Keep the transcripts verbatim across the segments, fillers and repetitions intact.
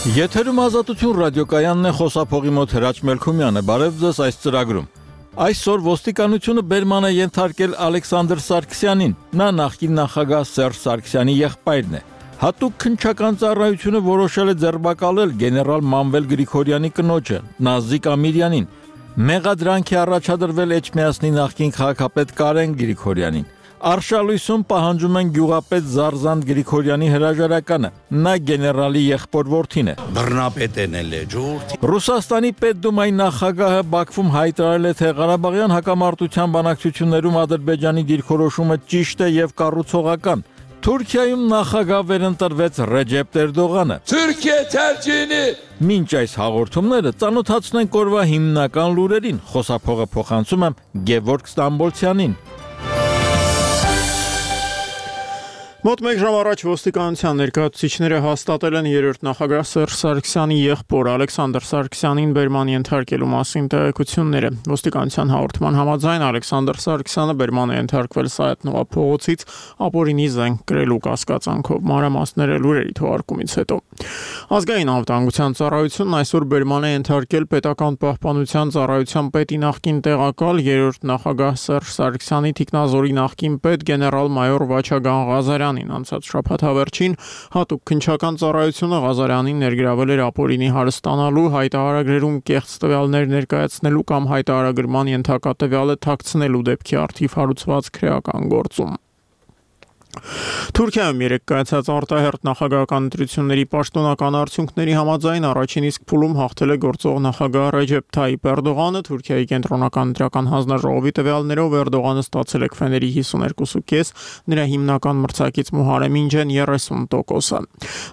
Եթերում Ազատություն ռադիոկայանն է, խոսափողի մոտ Հրաչ Մելքումյանը, բարև ձեզ այս ծրագրում։ Այսօր ոստիկանությունը բերման է ենթարկել Ալեքսանդր Սարգսյանին, նա նախկին նախագահ Սերժ Սարգսյանի եղբայրն է։ Հատուկ քննչական ծառայությունը որոշել է ձերբակալել գեներալ Մանվել Գրիգորյանի կնոջը, Նազիկ Ամիրյանին։ Մեղադրանք է առաջադրվել Էջմիածնի նախկին քաղաքապետ Կարեն Գրիգորյանին։ Արշալույսում պահանջում են գյուղապետ Զարզանտ Գրիգորյանի հրաժարականը, նա գեներալի եղբոր որդին է։ Բռնապետն է ժողովրդի։ Ռուսաստանի պետդումայի նախագահը Բաքվում հայտարարել է, թե Ղարաբաղյան հակամարտության բանակցություններում Ադրբեջանի դիրքորոշումը ճիշտ է եւ կառուցողական։ Թուրքիայում նախագահ վերընտրվեց Ռեջեփ Էրդողանը։ Թուրքիա թրջինի։ Մինչ այս հաղորդումները ծանոթացնենք օրվա հիմնական լուրերին, խոսափողը փոխանցում եմ Գևորգ Ստամբոլցյանին։ Մոտ մեկ ժամ առաջ ոստիկանության ներկայացուցիչները հաստատել են երրորդ նախագահ Սերժ Սարգսյանի եղբոր Ալեքսանդր Սարգսյանին բերման ենթարկելու մասին տեղեկությունները։ Ոստիկանության հաղորդման համաձայն Ալեքսանդր Սարգսյանը բերման է ենթարկվել Սայաթ-Նովա փողոցից ապօրինի զենք կրելու կասկածանքով։ Մանրամասները լուրերի թողարկումից հետո։ Ազգային անվտանգության ծառայությունն այսօր բերման է ենթարկել պետական պահպանության ծառայության պետի նախկին տեղակալ երրորդ նախագահ Սերժ Սարգսյանի թիկնազորի նախկին պետ գեներալ-մայոր Վաչագան Ղազարյանին։ Անցած շաբաթավերջին հատուկ քննչական ծառայությունը Ղազարյանին ներգրավել էր ապօրինի հարստանալու, հայտարարագրերում կեղծ տվյալներ ներկայացնելու կամ հայտարարագրման ենթակա տվյալը թաքցնելու դեպքի առթիվ հարուցված քրեական գործում։ Թուրքիայում երեկ կայացած արտահերթ նախագահական ընտրությունների պաշտոնական արդյունքների համաձայն առաջին իսկ փուլում հաղթել է գործող նախագահ Ռեջեփ Թայիփ Էրդողանը։ Թուրքիայի կենտրոնական ընտրական հանձնաժողովի տվյալներով Էրդողանը ստացել է քվեների հիսունհինգ կόμμα պենս, նրա հիմնական մրցակից Մուհարեմ Ինջեն երեսուն տոկոսը։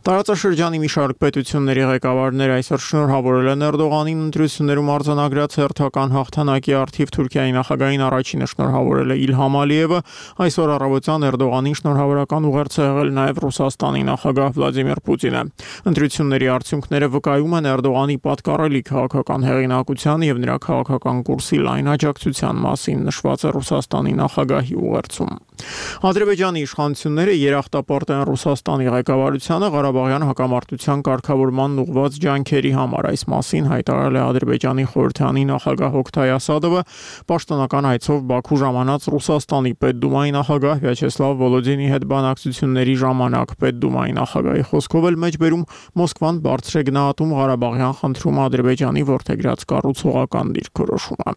Տարածաշրջանի մի շարք պետությունների ղեկավարներ այսօր շնորհավորել են Էրդողանին ընտրություններում արձանագրած հերթական հաղթանակի առթիվ։ Թուրքիայի նախագահին առաջինը շնորհավորել է Իլհամ Ալիևը, այսօր առավոտյան Էրդողանին շնորհավորական ուղերձ է եղել նաև Ռուսաստանի նախագահ Վլադիմիր Պուտինը։ Ընտրությունների արդյունքները վկայում են Էրդողանի պատկառելի քաղաքական հեղինակության եւ նրա քաղաքական կուրսի լայն աջակցության մասին, նշված է Ռուսաստանի նախագահի ուղերձում։ Ադրբեջանի իշխանությունները երախտապարտ են Ռուսաստանի ղեկավարությանը Ղարաբաղյան հակամարտության կարգավորման ուղղված ջանքերի համար։ Այս մասին հայտարարել է Ադրբեջանի խորհրդանի նախագահ Օքթայ Ասադովը պաշտոնական այցով Բաքու ժամանած Ռուսաստանի պետդումայի նախագահ Վյաչեսլավ Վոլոդինի հետ բանակցությունների ժամանակ։ Պետդումայի նախագահի խոսքով էլ մեջբերում Մոսկվան բարձր է գնահատում Ղարաբաղյան խնդրում Ադրբեջանի որդեգրած կառուցողական դիրքորոշումը։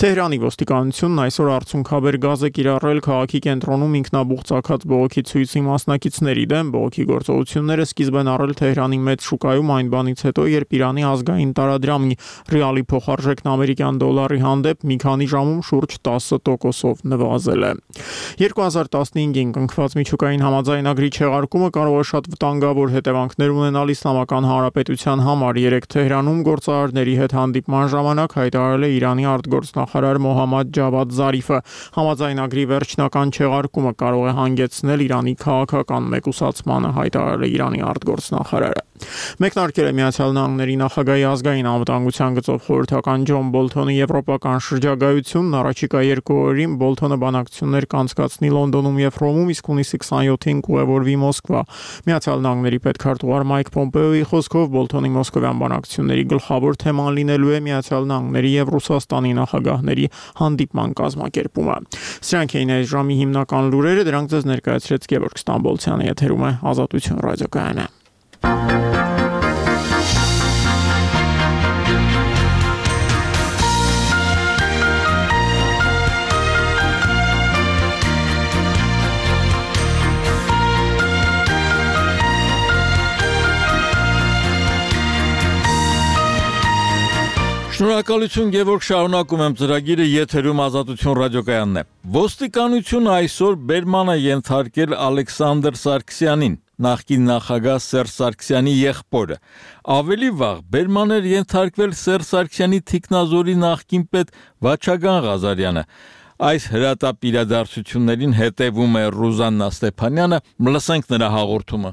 Թեհրանի ոստիկանությունն այսօր արցունքաբեր գազ է կիրառել քաղաքի կենտրոնում ինքնաբուխ ծագած բողոքի ցույցի մասնակիցների դեմ։ Բողոքի գործողությունները սկիզբ են առել Թեհրանի մեծ շուկայում այն բանից հետո, երբ Իրանի ազգային տարադրամի ռիալի փոխարժեքն ամերիկյան դոլարի հանդեպ մի քանի ժամում շուրջ տասը տոկոսով նվազել է։ երկու հազար տասնհինգին կնքված միջուկային համաձայնագրի չեղարկումը կարող է շատ վտանգավոր հետևանքներ ունենալ Իսլամական Հանրապետության համար։ Երեկ Թեհրանում գործարարների հետ հանդիպման ժամանակ հայտարարել է Իրանի արտգործնախարար Մոհամմադ Ջավադ Զարիֆը։ Համաձայնագրի վերջնական չեղարկումը կարող է հանգեցնել Իրանի քաղաքական մեկուսացմանը, հայտարարել է Իրանի արտգործնախարարը։ Մեկնարկել է Միացյալ Նահանգների նախագահի ազգային անվտանգության գծով խորհրդական Ջոն Բոլթոնի եվրոպական շրջագայությունն առաջիկա երկու օրերին Բոլթոնը բանակցություններ կանցկացնի Լոնդոնում եւ Հռոմում, իսկ հունիսի քսանյոթին կուղևորվի Մոսկվա։ Միացյալ Նահանգների պետքարտուղար Մայք Պոմպեոյի խոսքով Բոլթոնի մոսկովյան բանակցությունների գլխավոր թեման լինելու է Միացյալ Նահանգների եւ Ռուսաստանի նախագահների հանդիպման կազմակերպումը։ Սրանք էին այս ժամի հիմնական լուրերը, դրանք ձեզ ներկայացրեց Գևորգ Ստամբոլցյանը, եթերում է Ազատություն ռադիոկայանը։ Շնորհակալություն Գևորգ, շարունակում եմ ծրագիրը, եթերում Ազատություն ռադիոկայանն է։ Ոստիկանությունը այսօր բերման է ենթարկել Ալեքսանդր Սարգսյանին, նախկին նախագահ Սերժ Սարգսյանի եղբորը։ Ավելի վաղ բերման էր ենթարկվել Սերժ Սարգսյանի թիկնազորի նախկին պետ Վաչագան Ղազարյանը։ Այս հրատապ իրադարձություններին հետևում է Ռուզաննա Ստեփանյանը, լսենք նրա հաղորդումը։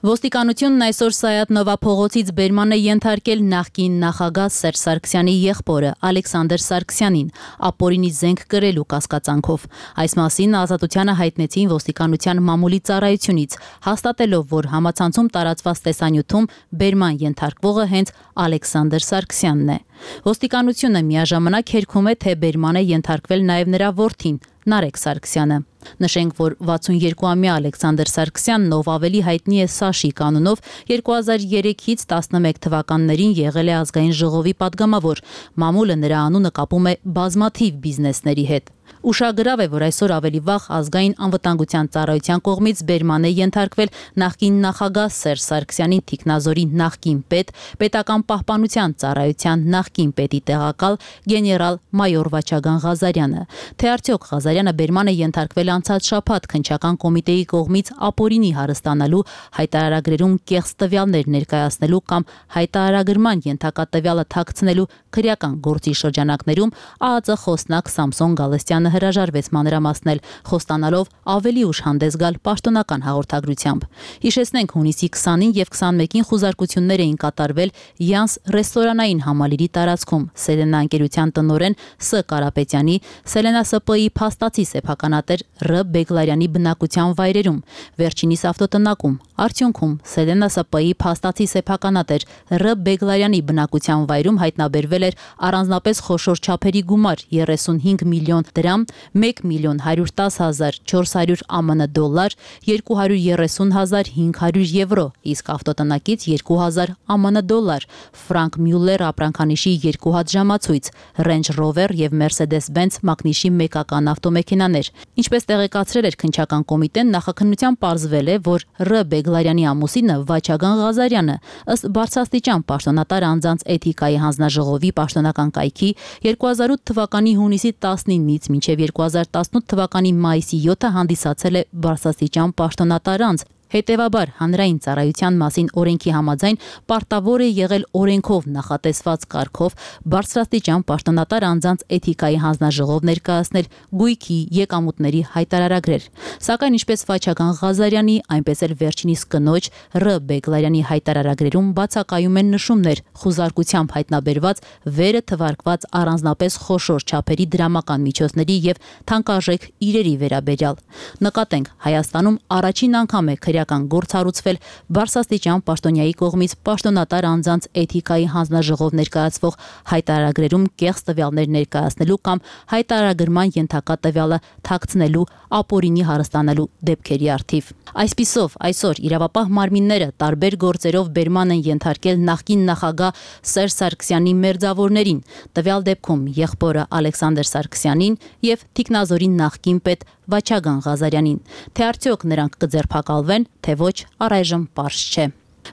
Ոստիկանությունն այսօր Սայաթ Նովա փողոցից բերման է ենթարկել նախկին նախագահ Սերժ Սարգսյանի եղբորը Ալեքսանդր Սարգսյանին ապօրինի զենք կրելու կասկածանքով։ Այս մասին Ազատությանը հայտնեցին ոստիկանության մամուլի ծառայությունից, հաստատելով, որ համացանցում տարածված տեսանյութում բերման ենթարկվողը հենց Ալեքսանդր Սարգսյանն է։ Ոստիկանությունը միաժամանակ հերքում է, թե բերման է ենթարկվել նաև նրա որդին Նարեկ Սարգսյանը։ Նշենք, որ վաթսունյոթամյա Ալեքսանդր Սարգսյանն, ով ավելի հայտնի է Սաշի կանոնով, երկու հազար երեքից տասնմեկ թվականներին եղել է ազգային ժողովի падգամավոր։ Մամուլը նրա անունը կապում է բազմաթիվ բիզնեսների հետ։ Ուշագրավ է, որ այսօր ավելի վաղ ազգային անվտանգության ծառայության կողմից բերման է ենթարկվել նախկին նախագահ Սերժ Սարգսյանի թիկնազորի նախկին պետ, պետական պահպանության ծառայության նախկին պետի տեղակալ գեներալ մայոր Վաչագան Ղազարյանը։ Թե արդյոք Ղազարյանը բերման է ենթարկվել անցած շաբաթ քննչական կոմիտեի կողմից ապօրինի հարստանալու, հայտարարագրերում կեղծ տվյալներ ներկայացնելու կամ հայտարարագրման ենթակա տվյալը թաքցնելու քրեական գործի շրջանակներում ԱԱԾ խոսնակ Սամսոն Գալստյանը հրաժարվեց մանրամասնել, խոստանալով ավելի ուշ հանդես գալ պաշտոնական հաղորդագրությամբ։ Հիշեցնենք, հունիսի քսանին եւ քսանմեկին խուզարկություններ էին կատարվել Յանս ռեստորանային համալիրի տարածքում Սելենա ընկերության տնօրեն Ս. Կարապետյանի, Սելենա Ս Պ-ի փաստացի սեփականատեր Ռ. Բեգլարյանի բնակության վայրերում, վերջինիս ավտոտնակում։ Արդյունքում Սելենա Ս Պ-ի փաստացի սեփականատեր Ռ. Բեգլարյանի բնակության վայրում հայտնաբերվել էր առանձնապես խոշոր չափերի գումար երեսունհինգ միլիոն դրամ, մեկ միլիոն հարյուր տաս հազար չորս հարյուր ԱՄՆ դոլար, երկու հարյուր երեսուն հազար հինգ հարյուր եվրո, իսկ ավտոտնակից երկու հազար ԱՄՆ դոլար, Ֆրանկ Մյուլլեր ապրանքանիշի երկու հատ ժամացույց, Range Rover եւ Mercedes-Benz մակնիշի մեկական ավտոմեքենաներ։ Ինչպես տեղեկացրել էր քննչական կոմիտեն, նախաքննության պարզվել է, որ Ռ. Բեգլարյանի ամուսինը Վաչագան Ղազարյանը ըստ բարձրաստիճան պաշտոնատար անձանց էթիկայի հանձնաժողովի պաշտոնական կայքի երկու հազար ութ թվականի հունիսի տասնինից մինչև երկու հազար տասնութ թվականի մայիսի յոթը հանդիսացել է բարձրաստիճան պաշտոնատար անձ։ Հետևաբար հանրային ծառայության մասին օրենքի համաձայն պարտավոր է եղել օրենքով նախատեսված կարգով բարձրաստիճան պաշտոնատար անձանց էթիկայի հանձնաժողով ներկայացնել գույքի եկամուտների հայտարարագրեր։ Սակայն ինչպես Վաչագան Ղազարյանի, այնպես էլ վերջինիս կնոջ Ռ. Բեգլարյանի հայտարարագրերում բացակայում են նշումներ խուզարկությամբ հայտնաբերված վերը թվարկված առանձնապես խոշոր չափերի դրամական միջոցների եւ թանկարժեք իրերի վերաբերյալ։ Նկատենք, Հայաստանում առաջին անգամ է քրեական գործ հարուցվել բարձրաստիճան պաշտոնյայի կողմից պաշտոնատար անձանց էթիկայի հանձնաժողով ներկայացվող հայտարարագրերում կեղծ տվյալներ ներկայացնելու կամ հայտարարագրման ենթակա տվյալը թաքցնելու, ապօրինի հարստանալու դեպքերի առթիվ։ Այսպիսով, այսօր իրավապահ մարմինները տարբեր գործերով բերման են ենթարկել նախկին նախագահ Սերժ Սարգսյանի մերձավորներին, տվյալ դեպքում եղբորը Ալեքսանդր Սարգսյանին եւ թիկնազորի նախկին պետ Վաչագան Ղազարյանին։ Թե արդյոք նրանք կձերբակալվեն, թե ոչ, առայժմ պարզ չէ։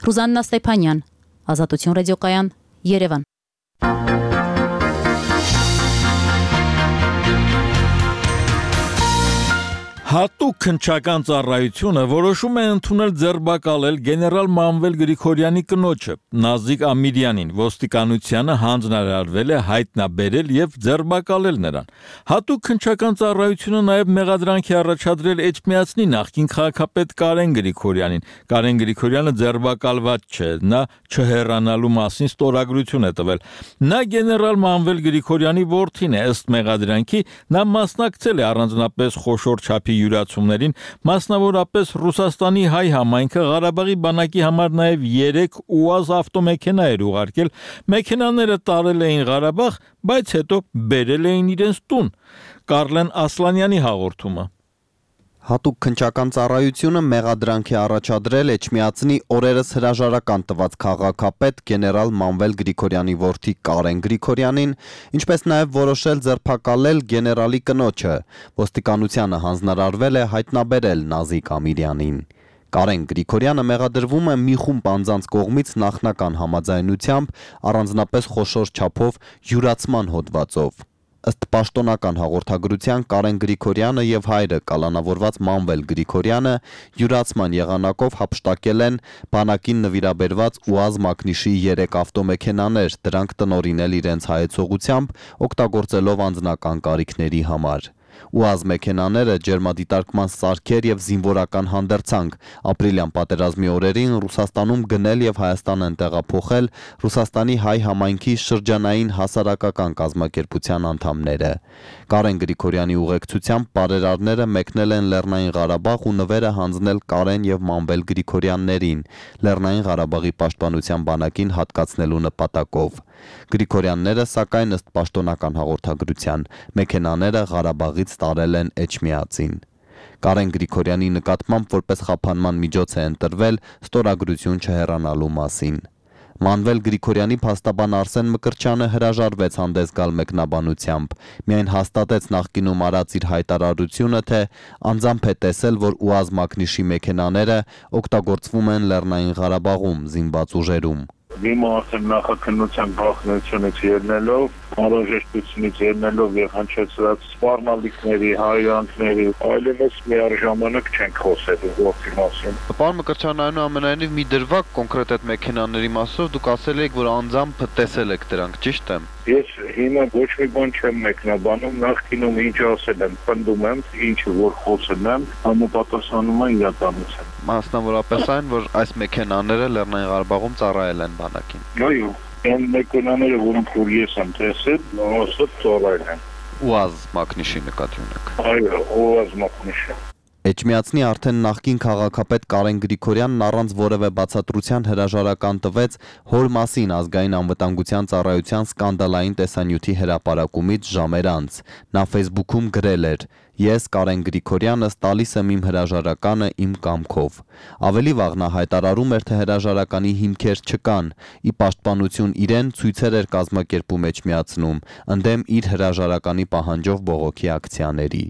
Ռուզաննա Ստեփանյան, Ազատություն ռադիոկայան, Երևան։ Հատուկ քննչական ծառայությունը որոշում է ընդունել ձերբակալել գեներալ Մանվել Գրիգորյանի կնոջը Նազիկ Ամիրյանին, ոստիկանությանը հանձնարարվել է հայտնաբերել եւ ձերբակալել նրան։ Հատուկ քննչական ծառայությունը նաեւ մեղադրանք է առաջադրել Էջմիածնի նախկին քաղաքապետ Կարեն Գրիգորյանին։ Կարեն Գրիգորյանը ձերբակալված չէ, նա չհեռանալու մասին ստորագրություն է տվել։ Նա գեներալ Մանվել Գրիգորյանի որդին է, ըստ մեղադրանքի նա մասնակցել է առանձնապես խոշոր չափի յուրացումներին, մասնավորապես Ռուսաստանի հայ համայնքը Ղարաբաղի բանակի համար նաև երեք ՈՒԱԶ ավտոմեքենա էր ուղարկել, մեքենաները տարել էին Ղարաբաղ, բայց հետո բերել էին իրենց տուն։ Կարլեն Ասլանյանի հաղորդումը։ Հատուկ քննչական ծառայությունը մեղադրանք է առաջադրել Էջմիածնի օրերս հրաժարական տված քաղաքապետ գեներալ Մանվել Գրիգորյանի որդի Կարեն Գրիգորյանին, ինչպես նաև որոշել ձերբակալել գեներալի կնոջը։ Ոստիկանությանը հանձնարարվել է հայտնաբերել Նազիկ Ամիրյանին։ Կարեն Գրիգորյանը մեղադրվում է մի խումբ անձանց կողմից նախնական համաձայնությամբ առանձնապես խոշոր չափով յուրացման հոդվածով։ Ըստ պաշտոնական հաղորդագրության Կարեն Գրիգորյանը եւ հայրը կալանավորված Մանվել Գրիգորյանը յուրացման եղանակով հափշտակել են բանակին նվիրաբերված ՈՒԱԶ մակնիշի երեք ավտոմեքենաներ, դրանք տնօրինել իրենց հայեցողությամբ, օգտագործելով անձնական կարիքների համար։ ՈՒԱԶ մեքենաները, ջերմադիտարկման սարքեր եւ զինվորական հանդերձանք։ Ապրիլյան պատերազմի օրերին Ռուսաստանում գնել եւ Հայաստան են տեղափոխել Ռուսաստանի հայ համայնքի շրջանային հասարակական կազմակերպության անդամները։ Կարեն Գրիգորյանի ուղեկցությամբ բարերարները մեկնել են Լեռնային Ղարաբաղ ու նվերը հանձնել Կարեն եւ Մանվել Գրիգորյաններին Լեռնային Ղարաբաղի պաշտպանության բանակին հատկացնելու նպատակով։ Գրիգորյանները, սակայն ըստ պաշտոնական հաղորդագրության, մեքենաները Ղարաբաղից տարել են Էջմիածին։ Կարեն Գրիգորյանի նկատմամբ որպես խափանման միջոց է ընտրվել ստորագրություն չհեռանալու մասին։ Մանվել Գրիգորյանի փաստաբան Արսեն Մկրտչյանը հրաժարվեց հանդես գալ մեկնաբանությամբ, միայն հաստատեց նախկինում արած իր հայտարարությունը, թե անձամբ է տեսել, որ ՈՒԱԶ մակնիշի մեքենաները օգտագործվում են Լեռնային Ղարաբաղում զինված ուժերում։ Դիմը արդեն նախաքննության գաղտնությունից ելնելով, անհրաժեշտությունից ելնելով եւ հնչեցրած սպառնալիքների, հայրանքների, այլևս միաժամանակ չենք խոսելու գործի մասին։ Պարոն Մկրտչյան, այնուամենայնիվ մի դրվագ կոնկրետ այդ մեքենաների մասով դուք ասել եք, որ անձամբ տեսել եք դրանք, ճիշտ է։ Ես հիմա ոչ մի բան չեմ մեկնաբանում, նախկինում ինչ ասել եմ, պնդում եմ, ինչը որ խոսել եմ, համապատասխանում է իրականության։ Մասնավորապես այն, որ այս մեքենաները Լեռնային Ղարաբաղում ծառայել են բանակին։ Այո, այն մեքենաները, որոնք որ ես եմ տեսել, ասած ծառայել են։ ՈՒԱԶ մակնիշի նկատի ունեք։ Այո, ՈՒԱԶ մակնիշը։ Էջմիածնի արդեն նախկին քաղաքապետ Կարեն Գրիգորյանն առանց որևէ բացատրության հրաժարական տվեց հոր մասին ազգային անվտանգության ծառայության սկանդալային տեսանյութի հրապարակումից ժամեր անց։ Նա Facebook-ում գրել էր. «Ես Կարեն Գրիգորյանս տալիս եմ իմ հրաժարականը իմ կամքով»։ Ավելի վաղ նա հայտարարում էր, թե հրաժարականի հիմքեր չկան։ Ի պաշտպանություն իրեն ցույցեր էր կազմակերպում Էջմիածնում, ընդդեմ իր հրաժարականի պահանջով բողոքի ակցիաների։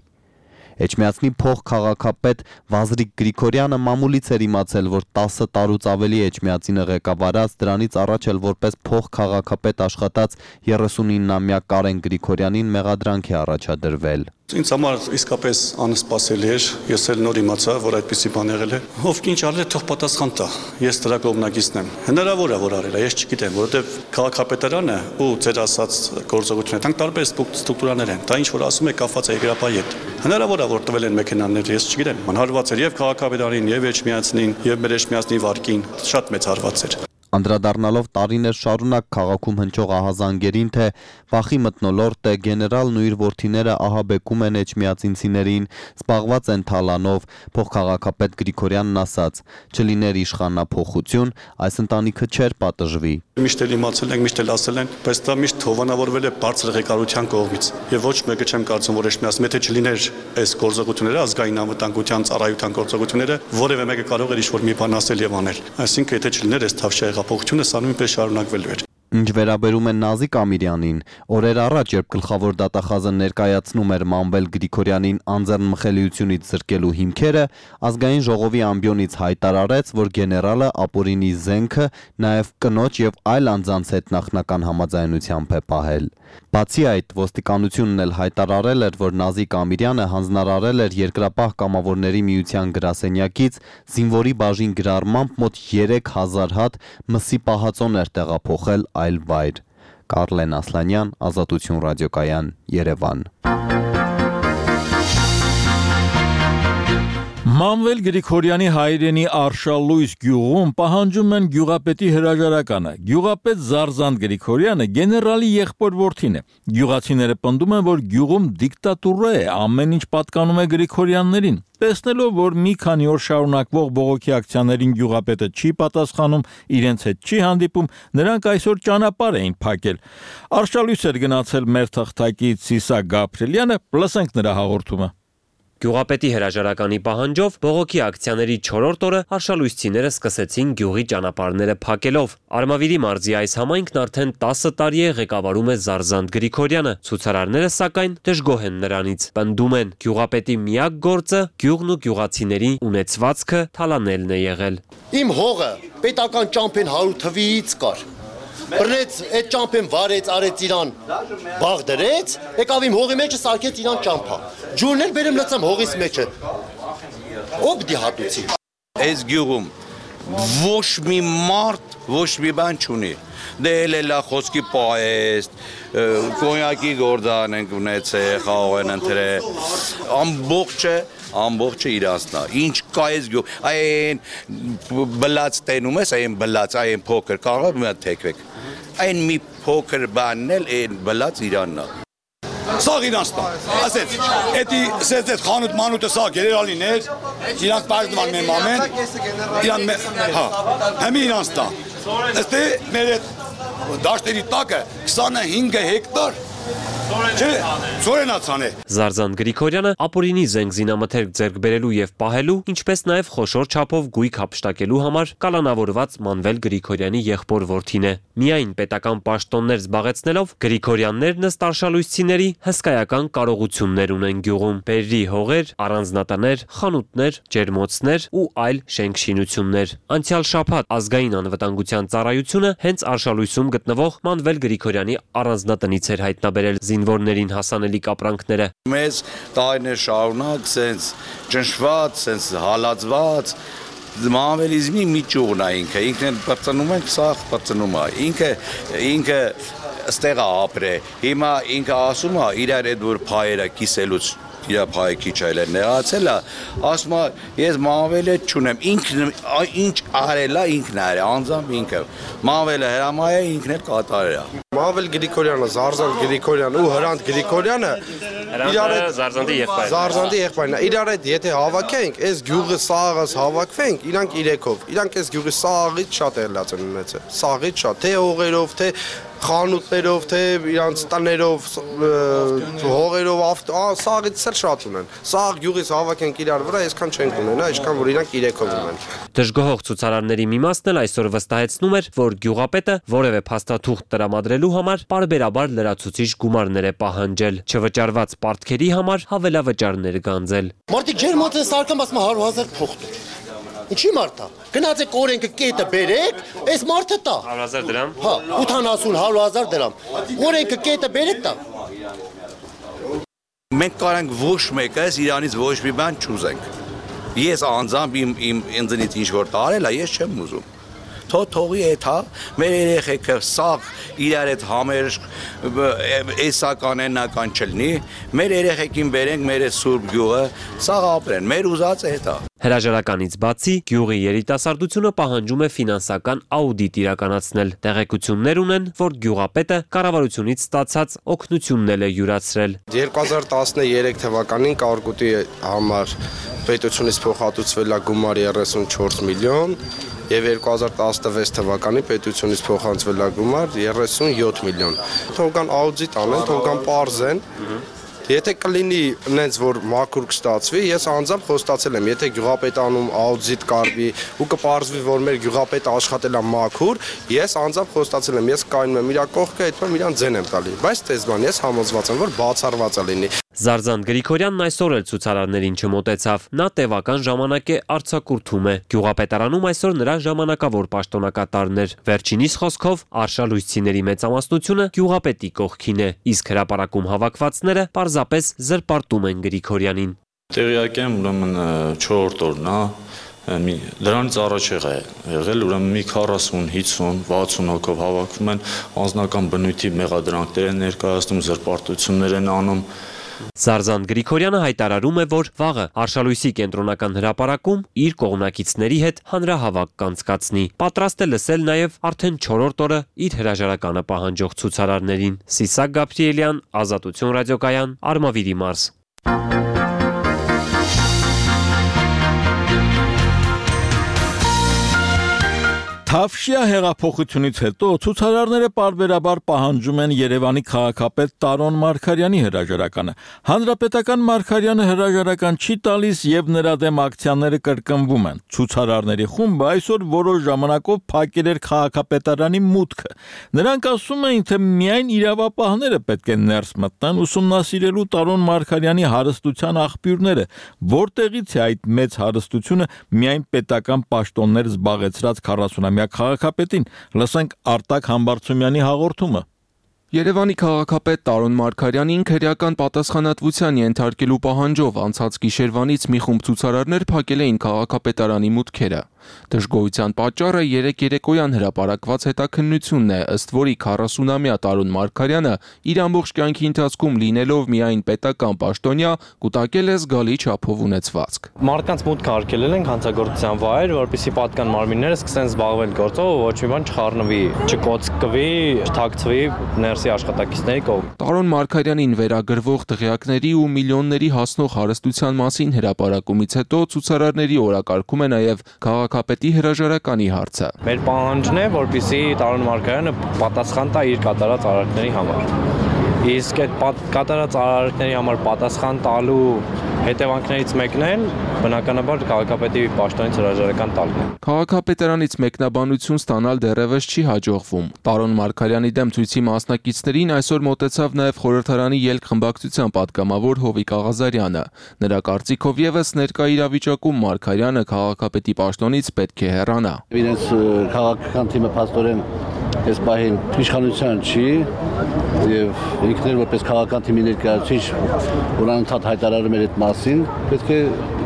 Էջմիածնի փոխքաղաքապետ Վազրիկ Գրիգորյանը մամուլից էր իմացել, որ տասը տարուց ավելի Էջմիածինը ղեկավարած, դրանից առաջ էլ որպես փոխքաղաքապետ աշխատած երեսունինամյա Կարեն Գրիգորյանին մեղադրանք է առաջադրվել։ Ինձ համար իսկապես անսպասելի էր, ես էլ նոր իմացա, որ այդպիսի բան եղել է։ Ով ինչ արել է, թող պատասխան տա։ Ես դրա կողմնակիցն եմ։ Հնարավոր է, որ արել է, ես չգիտեմ, որովհետև քաղաքապետարանը ու ձեր ասած գործողությունները, դրանք տարբեր ստրուկտուրաներ են։ Դա ինչ որ ասում է կապված է եգրապայի հետ։ Հնարավոր է, որ տվել են մեքենաներ, ես չգիտեմ։ Անհարված էր եւ քաղաքապետարին, եւ Էջմիածնին, եւ մեր Էջմիածնի վարկին, շատ մեծ հարված էր։ Անդրադառնալով տարիներ շարունակ քաղաքում հնչող ահազանգերին, թե վախի մթնոլորտ է, գեներալն ու իր որդիները ահաբեկում են էջմիածինցիներին, զբաղված են թալանով, փոխքաղաքապետ Գրիգորյանն ասաց. «Չլիներ իշխանափոխություն, այս ընտանիքը չէր պատժվի»։ Միշտ էլ իմացել ենք, միշտ էլ ասել են, բայց դա միշտ հովանավորվել է բարձր ղեկավարության կողմից։ Եվ ոչ մեկը չեմ կարծում, որ Էջմիածնում, եթե չլիներ այս գործողությունները, ազգային անվտանգության ծառայության գործողությունները, որևէ մեկը կարող էր ինչ-որ մի բան ասել եւ անել։ Այսինքն, եթե չլիներ այս թավշյա եղափոխությունը, սա նույնպես շարունակվելու էր։ Ինչ վերաբերում է Նազիկ Ամիրյանին, օրեր առաջ, երբ գլխավոր դատախազը ներկայացնում էր Մանվել Գրիգորյանին անձեռնմխելիությունից զրկելու հիմքերը, ազգային ժողովի ամբիոնից հայտարարեց, որ գեներալը ապօրինի զենքը նաև կնոջ եւ այլ անձանց հետ նախնական համաձայնությամբ է պահել։ Բացի այդ, ոստիկանությունն էլ հայտարարել էր, որ Նազիկ Ամիրյանը հանձնարարել էր Երկրապահ կամավորների միության գրասենյակից զինվորի բաժին գրառմամբ մոտ երեք հազար հատ մսի պահածոներ տեղափոխել այլ վայր։ Կարլեն Ասլանյան, Ազատություն ռադիոկայան, Երևան։ Մանվել Գրիգորյանի հայրենի Արշալույս գյուղում պահանջում են գյուղապետի հրաժարականը։ Գյուղապետ Զարզանտ Գրիգորյանը գեներալի եղբոր որդին է։ Գյուղացիները պնդում են, որ գյուղում դիկտատուրա է, ամեն ինչ պատկանում է Գրիգորյաններին։ Տեսնելով, որ մի քանի օր շարունակվող բողոքի ակցիաներին գյուղապետը չի պատասխանում, իրենց հետ չի հանդիպում, նրանք այսօր ճանապարհ էին փակել։ Արշալույս էր գնացել մեր թղթակից Սիսա Գաբրելյանը, լսենք նրա հաղորդումը։ Գյուղապետի հրաժարականի պահանջով բողոքի ակցիաների չորրորդ օրը արշալույսցիները սկսեցին գյուղի ճանապարհները փակելով։ Արմավիրի մարզի այս համայնքն արդեն տասը տարի է ղեկավարում է Զարզանտ Գրիգորյանը, ցուցարարները սակայն դժգոհ են նրանից, պնդում են գյուղապետի միակ գործը գյուղն ու գյուղացիների ունեցվածքը թալանելն է եղել։ Իմ հողը պետական ճամփեն հարյուր թվից կար։ Բռնեց այդ ճամփեն վարեց, արեց իրան բաղ դրեց, եկավ իմ հողի մեջը սարքեց իրան ճամփա։ Ջուրն էլ բերեմ լցամ հողիս մեջը։ Ով դի հատուցի։ Այս գյուղում ոչ մի մարդ, ոչ մի բան չունի։ Դե էլ է խոսքի պահեստ, կոնյակի գործան ենք ունեցել, խաղող են ընտրել, ամբողջը ամբողջը իրանցնա, ինչ կա ես գյուղ, այն բլած տենում ես, այն բլած, այն փոքր, կարող է մի հատ թեքվեք, այն մի փոքր բանն էլ այն բլած իրաննա։ Սաղ իրանցնա, ասեց, էտի սեց էտ խանութ մանութը սաղ գերերալիներ, իրանց պարդման մեր մամեն, իրան հա, հեմի իրանցնա, էստե մեր էտ դաշտերի տակը քսանհինգ հեկտար Չէ, ծորենացան է։ Զարզան Գրիգորյանը ապօրինի զենք զինամթերք ձեռք բերելու եւ պահելու, ինչպես նաեւ խոշոր չափով գույք հափշտակելու համար կալանավորված Մանվել Գրիգորյանի եղբոր որդին է։ Միայն պետական պաշտոններ զբաղեցնելով Գրիգորյաններն ըստ արշալույսցիների հսկայական կարողություններ ունեն գյուղում։ Բերրի հողեր, առանձնատներ, խանութներ, ջերմոցներ ու այլ շենք-շինություններ։ Անցյալ շաբաթ ազգային անվտանգության ծառայությունը հենց արշալույսում գտնվող Մանվել Գրիգորյանի առանձնատնից էր հայտնաբերել զինվորներին հասանելի կապրանքները։ Մեզ տարիներ շարունակ սենց ճնշված, սենց հալածված մանվելիզմի մի ճյուղն է ինքը, ինքն էլ բրծնում ենք, սաղ բրծնում է, ինքը ինքը ստեղ է ապրել, հիմա ինքը ասում է իրար այդ որ փայերը կիսելուց իր փայը քիչ այլ է նեղացել է, ասում է ես մանվելը չունեմ, ինքն ինչ արել է ինքն արել, անձամբ ինքը, մանվելը հրամայ է, ինքն էլ կատարել է։ Մանվել Գրիգորյանը, Զարզան Գրիգորյանը ու Հրանտ Գրիգորյանը իրար հետ Զարզանդի եղբայրն Զարզանդի եղբայրն է, իրար հետ եթե հավաքենք, այս գյուղը սաղս հավաքվենք, իրանք իրեքով, իրանք այս գյուղի սաղից շատ էլած են ունեցել, սաղից շատ, թե հողերով, թե խանութներով, թե իրանց տներով, հողերով, սաղից էլ շատ ունեն։ Սաղ գյուղից հավաքենք իրար վրա, այսքան չենք ունենա, այսքան որ իրանք իրեքով ունեն։ Դժգոհող ցուցարարների մի մասն էլ այսօր վստահեցնում էր, որ գյուղապետը որևէ փաստաթուղթ տրամադրելու համար պարբերաբար լրացուցիչ գումարներ է պահանջել, չվճարված պարտքերի համար հավելավճարներ գանձել։ Մարդիկ ջերմոցը սարկամ ասում հարյուր հազար փոխ։ Ինչի մարդա։ Գնացեք օրենքը կետը բերեք, այս մարդը տա։ հարյուր հազար դրամ։ Հա, ութանասուն հարյուր հազար դրամ։ Օրենքը կետը բերեք տա։ Մենք կարանք ոչ մեկս իրանից ոչ մի բան չուզենք։ Ես անձամբ իմ իմ ինձնից ինչ որ տարել է, ես չեմ ուզում։ Թո թողի է թա, մեր երեխեքը սաղ իրար հետ համերժ էսական ենական չլնի, մեր երեխեքին բերենք մեր սուրբ գյուղը, սաղ ապրեն, մեր ուզած է հետա։ Հրաժարականից բացի գյուղի երիտասարդությունը պահանջում է ֆինանսական աուդիտ իրականացնել։ Տեղեկություններ ունեն, որ գյուղապետը կառավարությունից ստացած օգնություններ է յուրացրել։ երկու հազար տասներեք թվականին Կարկուտի համար պետությունից փոխհատուցվել է գումար երեսունչորս միլիոն եւ երկու հազար տասնվեց թվականին պետությունից փոխանցվել է գումար երեսունյոթ միլիոն։ Թողական աուդիտ անեն, թողական պարզեն։ Եթե կլինի նենց որ մաքուր կստացվի, ես անձամբ խոստացել եմ, եթե գյուղապետանում աուդիտ կարվի ու կպարզվի, որ մեր գյուղապետը աշխատել է մաքուր, ես անձամբ խոստացել եմ, ես կայնում եմ իր կողքը, այդպես իրան ձեն եմ տալի։ Բայց տեսման ես համոզված եմ, որ բացառված է լինի։ Զարզան Գրիգորյանն այսօր էլ ցուցարարներին չմոտեցավ։ Նա տևական ժամանակ է արձակուրդում է։ Գյուղապետարանում այսօր նրա ժամանակավոր պաշտոնակատարն էր։ Վերջինիս խոսքով արշալույսցիների մեծամասնությունը գյուղապետի կողքին է, իսկ հրապարակում հավաքվածները պարզապես զրպարտում են Գրիգորյանին։ Տեղյակ եմ, ուրեմն չորրորդ օրն է, դրանից առաջ է եղել, ուրեմն մի քառասուն, հիսուն, վաթսուն հոգով հավաքվում են, անձնական բնույթի մեղադրանքներ են ներկայացնում, զրպարտություններ են անում։ Զարզան Գրիգորյանը հայտարարում է, որ վաղը Արշալույսի կենտրոնական հրապարակում իր կողմնակիցների հետ հանրահավաք կանցկացնի։ Պատրաստ է լսել նաև արդեն չորրորդ օրը իր հրաժարականը պահանջող ցուցարարներին։ Սիսակ Գաբրիելյան, Ազատություն ռադիոկայան, Արմավիրի մարզ։ Թավշյա հեղափոխությունից հետո ցուցարարները պարբերաբար պահանջում են Երևանի քաղաքապետ Տարոն Մարգարյանի հրաժարականը։ Հանրապետական Մարգարյանը հրաժարական չի տալիս եւ նրա դեմ ակցիաները կրկնվում են։ Ցուցարարների խումբը այսօր որոշ ժամանակով փակել էր քաղաքապետարանի մուտքը։ Նրանք ասում էին, թե միայն իրավապահները պետք է ներս մտնեն ուսումնասիրելու Տարոն Մարգարյանի հարստության աղբյուրները, որտեղից է այդ մեծ հարստությունը միայն պետական պաշտոններ զբաղեցրած քառասունամյա քաղաքապետին։ Լսենք Արտակ Համբարձումյանի հաղորդումը։ Երևանի քաղաքապետ Տարոն Մարգարյանին քրեական պատասխանատվության ենթարկելու պահանջով անցած գիշերվանից մի խումբ ցուցարարներ փակել էին քաղաքապետարանի մուտքերը։ Դժգոհության պատճառը երեք երեկոյան հրապարակված հետաքննությունն է, ըստ որի քառասունամյա Տարոն Մարգարյանը իր ամբողջ կյանքի ընթացքում լինելով միայն պետական պաշտոնյա, կուտակել է զգալի չափով ունեցվածք։ Մարդկանց մուտքը արգելել են հանցագործության վայր, որպեսզի պատկան մարմինները սկսեն զբաղվել գործով, ոչ մի բան չխառնվի, չկոծկվի, չթաքցվի ներսի աշխատակիցների կողմից։ Տարոն Մարգարյանին վերագրվող դղյակների ու միլիոնների հասնող հարստության մասին հրապարակումից հետո ցուցարարների օրակարգում է նաև քաղաքապետի հրաժարականի հարցը։ Մեր պահանջն է, որպեսզի Տարոն Մարգարյանը պատասխան տա իր կատարած արարքների համար։ Իսկ այդ կատարած արարքների համար պատասխան տալու հետևանքներից մեկն էլ բնականաբար քաղաքապետի պաշտոնից հրաժարական տալն է։ Քաղաքապետարանից մեկնաբանություն ստանալ դեռևս չի հաջողվում։ Տարոն Մարգարյանի դեմ ցույցի մասնակիցներին այսօր մոտեցավ նաև խորհրդարանի ելք խմբակցության պատգամավոր Հովիկ Աղազարյանը։ Նրա կարծիքով եւս ներկա իրավիճակում Մարգարյանը քաղաքապետի պաշտոնից պետք է հեռանա։ Իրենց քաղաքական թիմը փաստորեն այս պահին իշխանության չի եւ ինքներ որպես քաղաքական թիմի ներկայացուցիչ որ անընդհատ հայտարարում էր այդ մասին, պետք է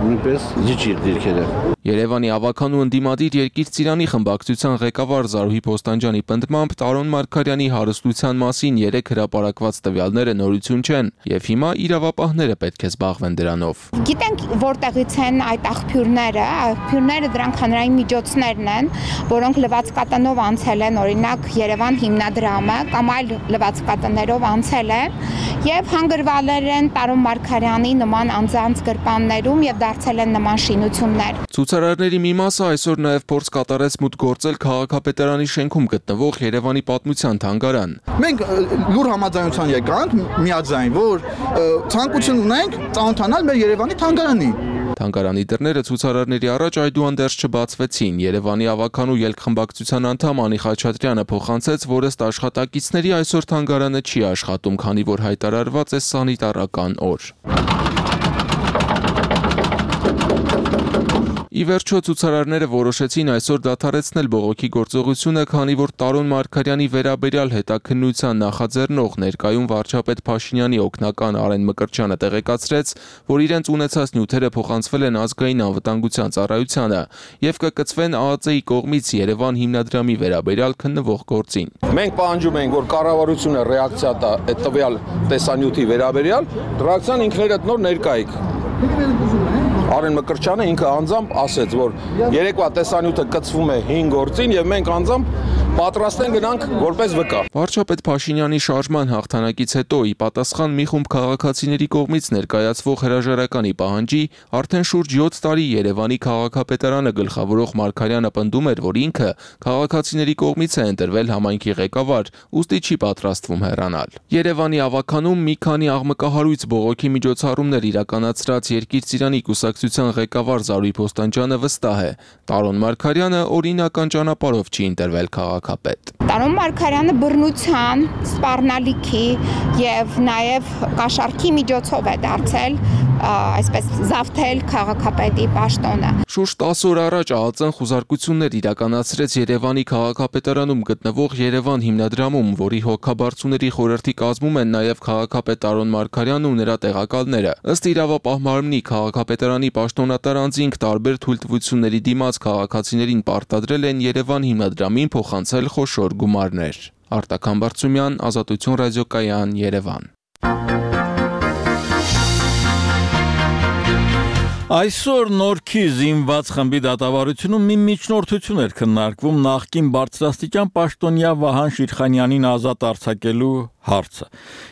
նույնպես զիջի դիրքերը։ Երևանի ավականու ընդդիմադիր Երկիր Ծիրանի խմբակցության ղեկավար Զարուհի Փոստանջյանի պնդմամբ Տարոն Մարգարյանի հարստության մասին երեք հրապարակված տվյալները նորություն չեն եւ հիմա իրավապահները պետք է զբաղվեն դրանով։ Գիտենք որտեղից են այդ աղբյուրները, աղբյուրները դրանք հանրային միջոցներն են, որոնք լվացկատանով անցել են, օրինակ Երևան հիմնադրամը կամ այլ լվացկատաներով անցել են եւ հանգրվալեր են Տարոն Մարգարյանի նման անձանց գրպաններում եւ դարձել են նման շինություններ։ Ցուցարարների մի մասը այսօր նաև փորձ կատարեց մուտք գործել քաղաքապետարանի շենքում գտնվող Երևանի պատմության թանգարան։ Մենք լուր համաձայնության եկանք, միաձայն, որ ցանկություն ունենք ծանոթանալ մեր Երևանի թանգարանին։ Թանգարանի դռները ցուցարարների առաջ այդուհանդերձ չբացվեցին։ Երևանի ավականու ելքխմբակցության անդամ Անի Խաչատրյանը փոխանցեց, որ ըստ աշխատակիցների այսօր թանգարանը չի աշխատում, քանի որ հայտարարված է սանիտարական օր։ Ի վերջո ցուցարարները որոշեցին այսօր դադարեցնել բողոքի գործողությունը, քանի որ Տարոն Մարգարյանի վերաբերյալ հետաքննության նախաձեռնող ներկայում վարչապետ Փաշինյանի օգնական Արեն Մկրտչյանը տեղեկացրեց, որ իրենց ունեցած նյութերը փոխանցվել են ազգային անվտանգության ծառայությանը եւ կկցվեն ԱԱԾ-ի կողմից Երևան հիմնադրամի վերաբերյալ քննվող գործին։ Մենք պահանջում ենք, որ կառավարությունը ռեակցիա տա այդ տվյալ տեսանյութի վերաբերյալ, ռեակցիան ինքներդ նոր ներկայիք։ Արեն Մկրտչյանը ինքը անձամբ ասեց, որ երեկվա տեսանյութը կցվում է հինգ գործին եւ մենք անձամբ պատրաստ ենք գնանք որպես վկա։ Վարչապետ Փաշինյանի շարժման հաղթանակից հետո ի պատասխան մի խումբ քաղաքացիների կողմից ներկայացվող հրաժարականի պահանջի արդեն շուրջ յոթ տարի Երևանի քաղաքապետարանը գլխավորող Մարգարյանը պնդում էր, որ ինքը քաղաքացիների կողմից է ընտրվել համայնքի ղեկավար, ուստի չի պատրաստվում հեռանալ։ Երևանի ավականում մի քանի աղմկահարույց բողոքի միջոցառումներ իրականացրած Երկիր Ծիրանի կուսակցության ղեկավար Զարուհի Փոստանջյանը վստահ է, Տարոն Մարգարյանը օրինական ճանապարհով չի ընտրվել քաղաքապետ։ Տարոն Մարգարյանը բռնության, սպառնալիքի եւ նաեւ կաշառքի միջոցով է դարձել այսպես զավթել քաղաքապետի պաշտոնը։ Շուրջ տասը օր առաջ ԱԱԾ-ն խուզարկություններ իրականացրեց Երևանի քաղաքապետարանում գտնվող Երևան հիմնադրամում, որի հոգաբարձուների խորհրդի կազմում են նաև քաղաքապետ Տարոն Մարգարյանն ու նրա տեղակալները։ Ըստ իրավապահ մարմնի քաղաքապետարանի պաշտոնատար անձինք տարբեր թույլտվությունների դիմաց քաղաքացիներին պարտադրել են Երևան հիմնադրամին փոխանցել խոշոր գումարներ։ Արտական Բարծումյան, Ազատություն ռադիոկայան, Երևան։ Այսօր Նորքի զինված խմբի դատավարությունում մի միջնորդություն էր քննարկվում նախկին բարձրաստիճան պաշտոնյա Վահան Շիրխանյանին ազատ արձակելու հարցը։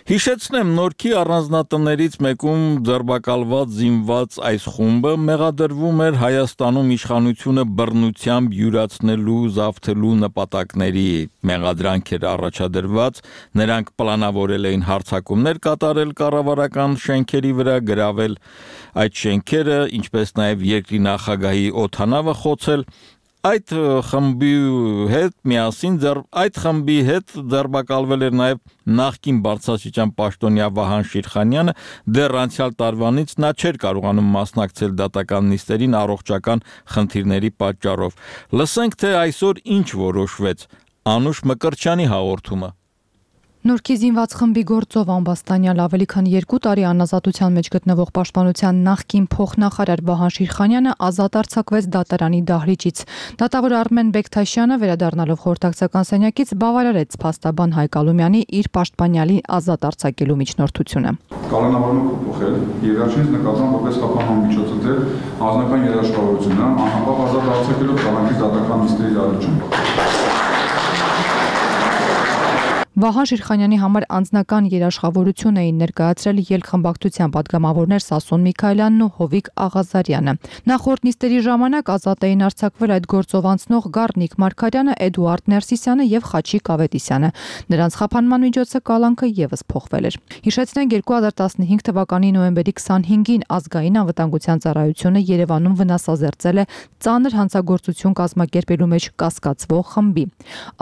Հիշեցնեմ, Նորքի առանձնատներից մեկում ձերբակալված զինված այս խումբը մեղադրվում էր Հայաստանում իշխանությունը բռնությամբ յուրացնելու, զավթելու նպատակների մեղադրանք էր առաջադրված, նրանք պլանավորել էին հարձակումներ կատարել կառավարական շենքերի վրա, գրավել այդ շենքերը, ինչպես նաև երկրի նախագահի օդանավը խոցել։ Այդ խմբի հետ միասին ձեր այդ խմբի հետ ձերբակալվել էր նաև նախկին բարձրաստիճան պաշտոնյա Վահան Շիրխանյանը, դեռ անցյալ տարվանից նա չէր կարողանում մասնակցել դատական նիստերին առողջական խնդիրների պատճառով։ Լսենք, թե այսօր ինչ որոշվեց։ Անուշ Մկրտչյանի հաղորդումը։ Նորքի զինված խմբի գործով Ամբաստանյալ ավելի քան երկու տարի անազատության մեջ գտնվող պաշտպանության նախկին փոխնախարար Վահան Շիրխանյանը ազատ արձակվեց դատարանի դահլիճից։ Դատավոր Արմեն Բեկթաշյանը վերադառնալով խորհրդակցական սենյակից բավարարեց փաստաբան Հայկ Ալումյանի իր պաշտպանյալի ազատ արձակելու միջնորդությունը։ Կալանավորումը փոխել եւ վերջինս նկատան որպես խափանման միջոցը անձնական երաշխավորությունը անհապաղ ազատ արձակելով քաղաքի դատական նիստերի դարաշրջան։ Վահան Շիրխանյանի համար անձնական երաշխավորություն էին ներկայացրել ելքխմբակցության պատգամավորներ Սասուն Միքայելյանն ու Հովիկ Աղազարյանը։ Նախորդ նիստերի ժամանակ ազատ էին արձակվել այդ գործով անցնող Գառնիկ Մարգարյանը, Էդուարդ Ներսիսյանը եւ Խաչիկ Ավետիսյանը։ Նրանց խափանման միջոցը կալանքը եւս փոխվել էր։ Հիշեցնենք երկու հազար տասնհինգ թվականի նոյեմբերի քսանհինգին ազգային անվտանգության ծառայությունը Երևանում վնասազերծել է ծանր հանցագործություն կազմակերպելու մեջ կասկածվող խմբի։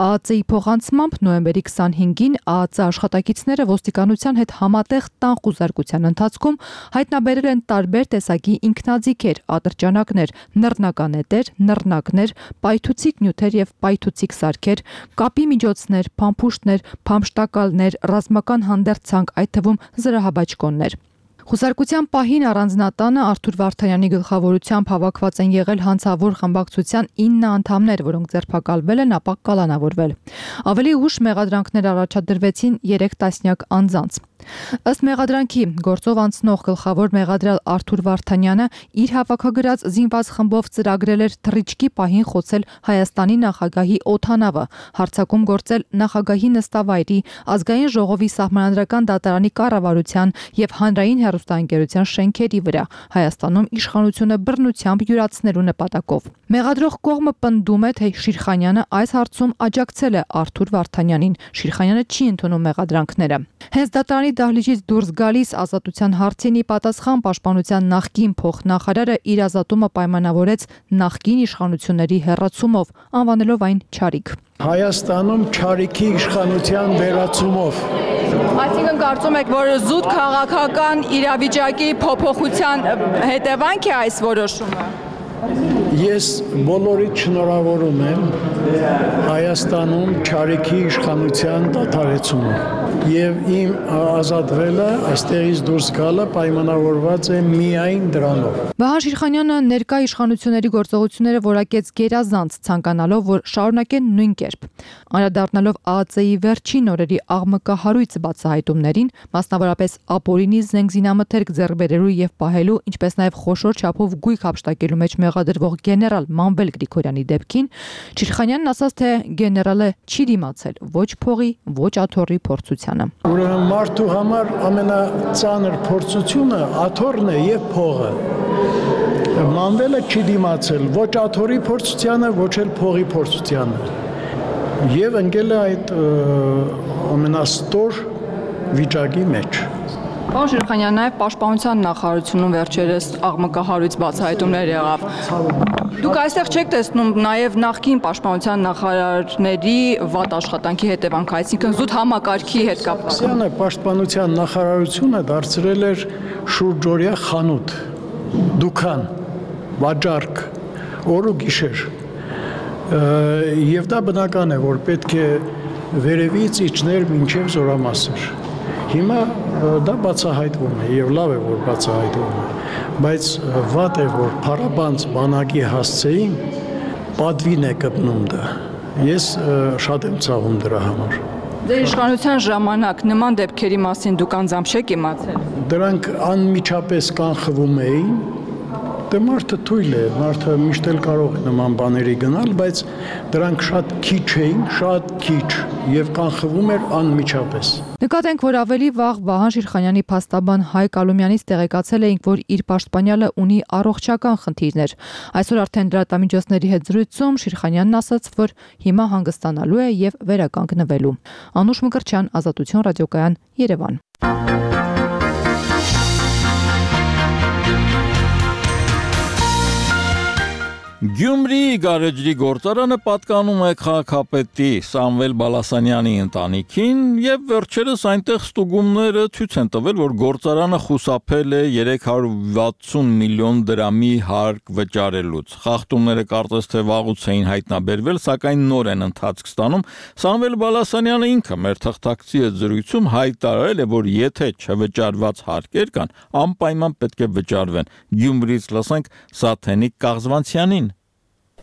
ԱԱԾ-ի փոխանցմամբ նոյեմբերի քսանհինգին ԱԱԾ աշխատակիցները ոստիկանության հետ համատեղ տան խուզարկության ընթացքում հայտնաբերել են տարբեր տեսակի ինքնաձիգեր, ատրճանակներ, նռնականետեր, նռնակներ, պայթուցիկ նյութեր եւ պայթուցիկ սարքեր, կապի միջոցներ, փամփուշտներ, փամշտակալներ, ռազմական հանդերձանք, այդ թվում զրահաբաճկոններ։ Խուսարկության պահին առանձնատանը Արթուր Վարդանյանի գլխավորությամբ հավաքված են եղել հանցավոր խմբակցության ինը անդամներ, որոնք ձերբակալվել են, ապա կալանավորվել։ Ավելի ուշ մեղադրանքներ առաջադրվեցին երեք տասնյակ անձանց։ Ըստ մեղադրանքի գործով անցնող գլխավոր մեղադրյալ Արթուր Վարդանյանը իր հավաքագրած զինված խմբով ծրագրել էր թռիչքի պահին խոցել Հայաստանի նախագահի օդանավը, հարձակում գործել նախագահի նստավայրի, ազգային ժողովի սահմանադրական դատարանի կառավարության եւ հանրային հեռուստաընկերության շենքերի վրա, Հայաստանում իշխանությունը բռնությամբ յուրացնելու նպատակով։ Մեղադրող կողմը պնդում է, թե Շիրխանյանը այս հարցում աջակցել է Արթուր Վարդանյանին։ Շիրխանյանը չի ընդունում մեղադրանքները։ Հենց դատարանի դահլիճից դուրս գալիս ազատության հարցին ի պատասխան պաշտպանության նախկին փոխնախարարը իր ազատումը պայմանավորեց նախկին իշխանությունների հեռացումով, անվանելով այն չարիք։ Հայաստանում չարիքի իշխանության վերացումով։ Այսինքն կարծում եք, որ զուտ քաղաքական իրավիճակի փոփոխության հետևանք է այս որոշումը։ Ես բոլորիդ շնորհավորում եմ Հայաստանում չարիքի իշխանության դադարեցումը եւ իմ ազատվելը այստեղից դուրս գալը պայմանավորված է միայն դրանով։ Վահան Շիրխանյանը ներկա իշխանությունների գործողությունները որակեց գերազանց, ցանկանալով, որ շարունակեն նույն կերպ։ Անդրադառնալով ԱԱԾ-ի վերջին օրերի աղմկահարույց բացահայտումներին, մասնավորապես ապօրինի զենք զինամթերք ձեռքբերելու եւ պահելու, ինչպես նաեւ խոշոր չափով գույք հափշտակելու մեջ մեղադրվող գեներալ Մանվել Գրիգորյանի դեպքին, Շիրխանյանն ասաց, թե գեներալը չի դիմացել ոչ փողի, ոչ աթոռի փորձությանը։ Ուրեմն մարդու համար ամենածանր փորձությունը աթոռն է եւ փողը։ Մանվելը չի դիմացել ոչ աթոռի փորձությանը, ոչ էլ փողի փորձությանը։ Եվ ընկել է այդ ամենաստոր վիճակի մեջ։ Պարոն Շիրխանյան, նաև պաշտպանության նախարարությունում վերջերս աղմկահարույց բացահայտումներ եղավ։ Դուք այստեղ չեք տեսնում նաև նախկին պաշտպանության նախարարների վատ աշխատանքի հետևանք, այսինքն զուտ համակարգի հետ կապված։ Սյանը պաշտպանության նախարարությունը դարձրել էր շուրջօրյա խանութ, դուքան, վաճառք, օր ու գիշեր։ Եվ դա բնական է, որ պետք է վերևից իջներ մինչև զորամասեր։ Հիմա դա բացահայտվում է եւ լավ է, որ բացահայտվում է, բայց վատ է, որ փառաբանց բանակի հասցեին պատվին է կպնում դա։ Ես շատ եմ ցավում դրա համար։ Ձեր իշխանության ժամանակ նման դեպքերի մասին դուք անձամբ չեք իմացել։ Դրանք անմիջապես կանխվում էին։ Դե մարդը թույլ է, մարդը միշտ էլ կարող է նման բաների գնալ, բայց դրանք շատ քիչ էին, շատ քիչ եւ կանխվում էր անմիջապես։ Նկատենք, որ ավելի վաղ Վահան Շիրխանյանի փաստաբան Հայկ Ալումյանից տեղեկացել էինք, որ իր պաշտպանյալը ունի առողջական խնդիրներ։ Այսօր արդեն լրատվամիջոցների հետ զրույցում Շիրխանյանն ասաց, որ հիմա հանգստանալու է եւ վերականգնվելու։ Անուշ Մկրտչյան, Ազատություն ռադիոկայան, Երևան։ Գյումրիի գարեջրի գործարանը պատկանում է քաղաքապետի Սամվել Բալասանյանի ընտանիքին եւ վերջերս այնտեղ ստուգումները ցույց են տվել, որ գործարանը խուսափել է երեք հարյուր վաթսուն միլիոն դրամի հարկ վճարելուց։ Խախտումները կարծես թե վաղուց էին հայտնաբերվել, սակայն նոր են ընթացք ստանում։ Սամվել Բալասանյանը ինքը մեր թղթակցի հետ զրույցում հայտարարել է, որ եթե չվճարված հարկեր կան, անպայման պետք է վճարվեն։ Գյումրիից լսենք Սաթենիկ Կաղզվանցյանին։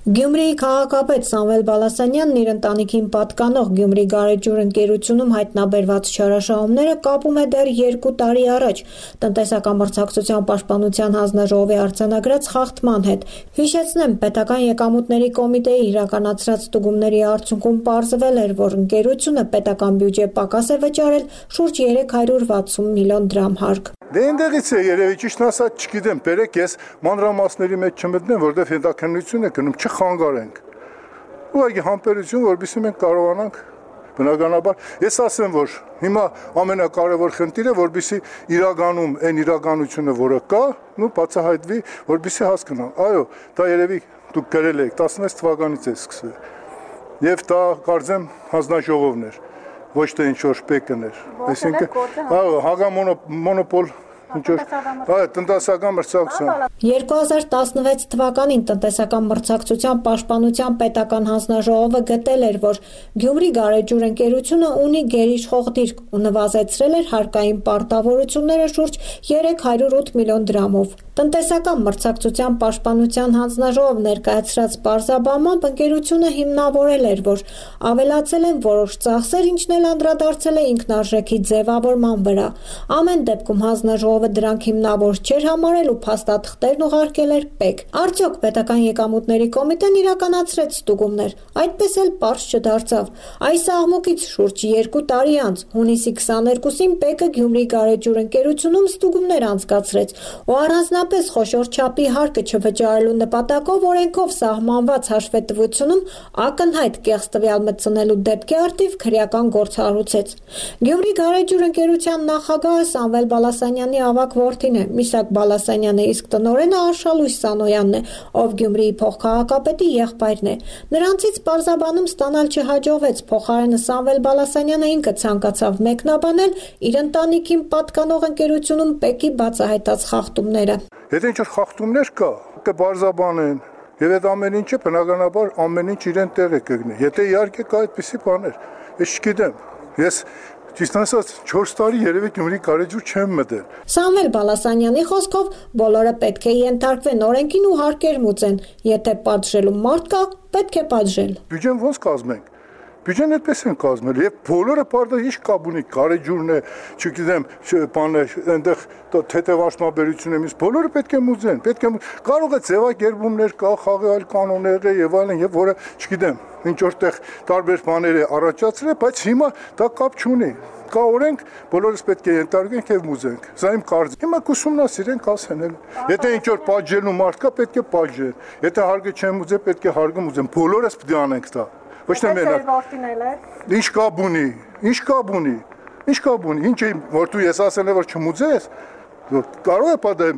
Գյումրիի քաղաքապետ Սամվել Բալասանյանն իր ընտանիքին պատկանող Գյումրի գարեջուր ընկերությունում հայտնաբերված չարաշահումները կապում է դեռ երկու տարի առաջ տնտեսական մրցակցության պաշտպանության հանձնաժողովի արձանագրած խախտման հետ։ Հիշեցնեմ, պետական եկամուտների կոմիտեի իրականացրած ստուգումների արդյունքում պարզվել էր, որ ընկերությունը պետական բյուջե պակաս է վճարել շուրջ երեք հարյուր վաթսուն միլիոն դրամ հարկ։ Դե այնտեղից է երևի ճիշտ ասած չգիտեմ, բերեք ես մանրամասների մեջ չմտնեմ, որտեղ հետաքննություն է գնում, չխանգարենք։ Ուղղակի համբերություն, որովհետեւ մենք կարողանանք բնականաբար, ես ասեմ, որ հիմա ամենակարևոր խնդիրը, որովհետեւ իրականում այն իրականությունը, որը կա, նու բացահայտվի, որովհետեւ հասկանան։ Այո, դա երևի դուք գրել եք տասնվեց թվականից է սկսվել։ Եվ դա կարծեմ հանձնաժողովն էր, ոչ թե ինչ-որ շպեկներ, այսինքն հագամոնոպոլ տնտեսական մրցակցություն։ երկու հազար տասնվեց թվականին տնտեսական մրցակցության պաշտպանության պետական հանձնաժողովը գտել էր, որ Գյումրի գարեջուր ընկերությունը ունի գերիշխող դիրք ու նվազեցրել էր հարկային պարտավորությունները շուրջ երեք հարյուր ութ միլիոն դրամով։ Տնտեսական մրցակցության պաշտպանության հանձնաժողով ներկայացրած պարզաբանմամբ ընկերությունը հիմնավորել էր, որ ավելացել են որոշ ծախսեր, ինչն էլ անդրադարձել է ինքնարժեքի ձևավորման վրա։ Ամեն դեպքում հանձնաժողովը դրանք հիմնավոր չէր համարել ու փաստաթղթերն ուղարկել էր ՊԵԿ։ Արդյոք պետական եկամուտների կոմիտեն իրականացրեց ստուգումներ, այդպես էլ պարզ չդարձավ։ Այս աղմուկից շուրջ երկու տարի անց, հունիսի քսաներկուսին ՊԵԿ-ը Գյումրի գարեջուր ընկերությունում ստուգումներ անցկացրեց ու առանձնապես խոշոր չափի հարկը չվճարելու նպատակով օրենքով սահմանված հաշվետվությունում ակնհայտ կեղծ տվյալ մտցնելու դեպքի առթիվ քրեական գործ հարուցեց։ Գյումրի գարեջուր ընկերության նախագահը Սամվել Բալասանյանի ավագ որդին է, Միսակ Բալասանյանը, իսկ տնօրենը Արշալույս Սանոյանն է, ով Գյումրիի փոխքաղաքապետի եղբայրն է։ Նրանցից պարզաբանում ստանալ չհաջողվեց, փոխարենը Սամվել Բալասանյանը ինքը ցանկացավ մեկնաբանել իր ընտանիքին պատկանող ընկերությունում ՊԵԿ-ի բացահայտած խախտումները։ Եթե ինչ-որ խախտումներ կա, կբարձաբանեն, եւ այդ ամեն ինչը բնականաբար ամեն ինչ իրեն տեղ է կգնի։ Եթե իհարկե կա այդպիսի բաներ, ես չգիտեմ։ Ես ճիշտ ասած չորս տարի երևի Գյումրի գարեջուր չեմ մտել։ Սամվել Բալասանյանի խոսքով բոլորը պետք է ենթարկվեն օրենքին ու հարկեր մուծեն։ Եթե պատժելու մարդ կա, պետք է պատժել։ Բյուջեն ոնց կազմենք։ Բյուջեն այդպես են կազմել եւ բոլորը բարդը ինչ կապ ունի, գարեջուրն է, չգիտեմ, բանը, այնտեղ թեթևաշնաբերություն է, բոլորը պետք է մուծեն, պետք է կարող է ձևակերպումներ կա, խաղի այլ կանոններ եւ այլն եւ որը, չգիտեմ, ինչ որտեղ տարբեր բաներ է առաջացրել, բայց հիմա դա կապ չունի։ Կա օրենք, բոլորս պետք է ենթարկենք եւ մուծենք։ Սա իմ կարծիքն է։ Հիմա կուսումնասիրենք, ասեն էլ։ Եթե ինչ որ պատժելու մարդ կա, պետք է պատժեն։ Եթե հարգը չեն մուծել, պետք է հարգը մուծեն։ Բոլորս պետք է անենք դա։ Ոչ թե մենակ։ Ինչ կապ ունի, ինչ կապ ունի, ինչ կապ ունի, ինչ է որ դու ես ասել եմ որ չմուծես, կարող է պատը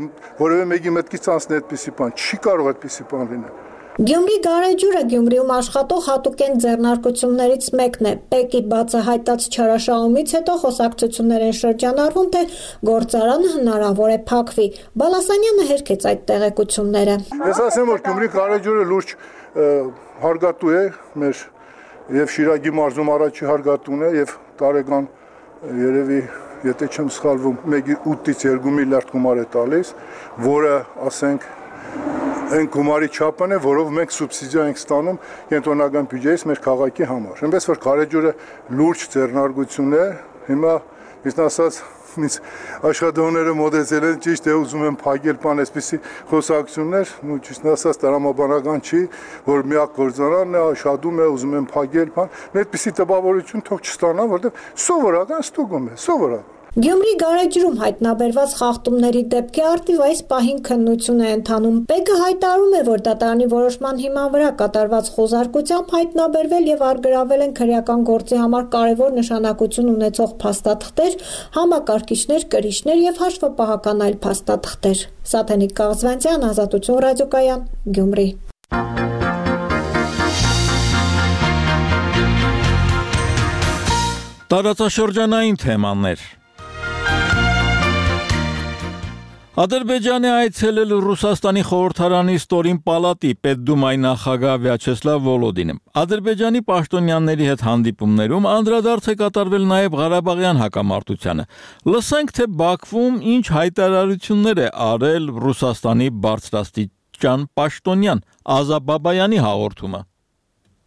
որևէ մեկի մտքից անցնել այդպիսի բան, չի կարող այդպիսի բան լինել։ Գյումրի գարեջուրը Գյումրիում աշխատող հատուկեն ձեռնարկություններից մեկն է։ ՊԵԿ-ի բացահայտած չարաշահումից հետո խոսակցություններ են շրջանառվում, թե գործարանը հնարավոր է փակվի։ Բալասանյանը հերքեց այդ տեղեկությունները։ Ես ասեմ, որ Գյումրի գարեջուրը լուրջ հարգատու է մեր եւ Շիրակի մարզում առաջի հարգատուն է եւ տարեկան երևի եթե չեմ սխալվում մեկի ութից երկու միլիարդ գումար է տալիս, որը ասենք այն գումարի չափն է, որով մենք սուբսիդիա ենք ստանում կենտրոնական բյուջեից մեր քաղաքի համար։ Այնպես որ գարեջուրը լուրջ ձեռնարկություն է, հիմա իսկ ասած ինձ աշխատողները մոտեցել են ճիշտ է ուզում են փակել բան այսպեսի խոսակցություններ, ու ճիշտ ասած տրամաբանական չի, որ միակ գործարանն է, աշխատում է, ուզում են փակել բան, այդպեսի տպավորություն թող չստանան, որտեղ սովորական ստուգում է, սովորական։ Գյումրի գարեջուրում հայտնաբերված խախտումների դեպքի առթիվ այս պահին քննություն է ընթանում։ ՊԵԿ-ը հայտարարում է, որ դատարանի որոշման հիման վրա կատարված խոզարկությամբ հայտնաբերվել եւ արգրավել են քրեական գործի համար կարևոր նշանակություն ունեցող փաստաթղթեր, համակարգիչներ, կրիչներ եւ հաշվապահական այլ փաստաթղթեր։ Սաթենիկ Կաղզվանցյան, Ազատություն ռադիոկայան, Գյումրի։ Տարածաշրջանային թեմաներ։ Ադրբեջանի այցելել Ռուսաստանի խորհրդարանի ստորին պալատի պետդումայի նախագահ Վյաչեսլավ Վոլոդինը։ Ադրբեջանի պաշտոնյաների հետ հանդիպումներում անդրադարձ է կատարվել նաև Ղարաբաղյան հակամարտությանը։ Լսենք, թե Բաքվում ինչ հայտարարություններ է արել Ռուսաստանի բարձրաստիճան պաշտոնյան Ազա Բաբայանի հաղորդումը։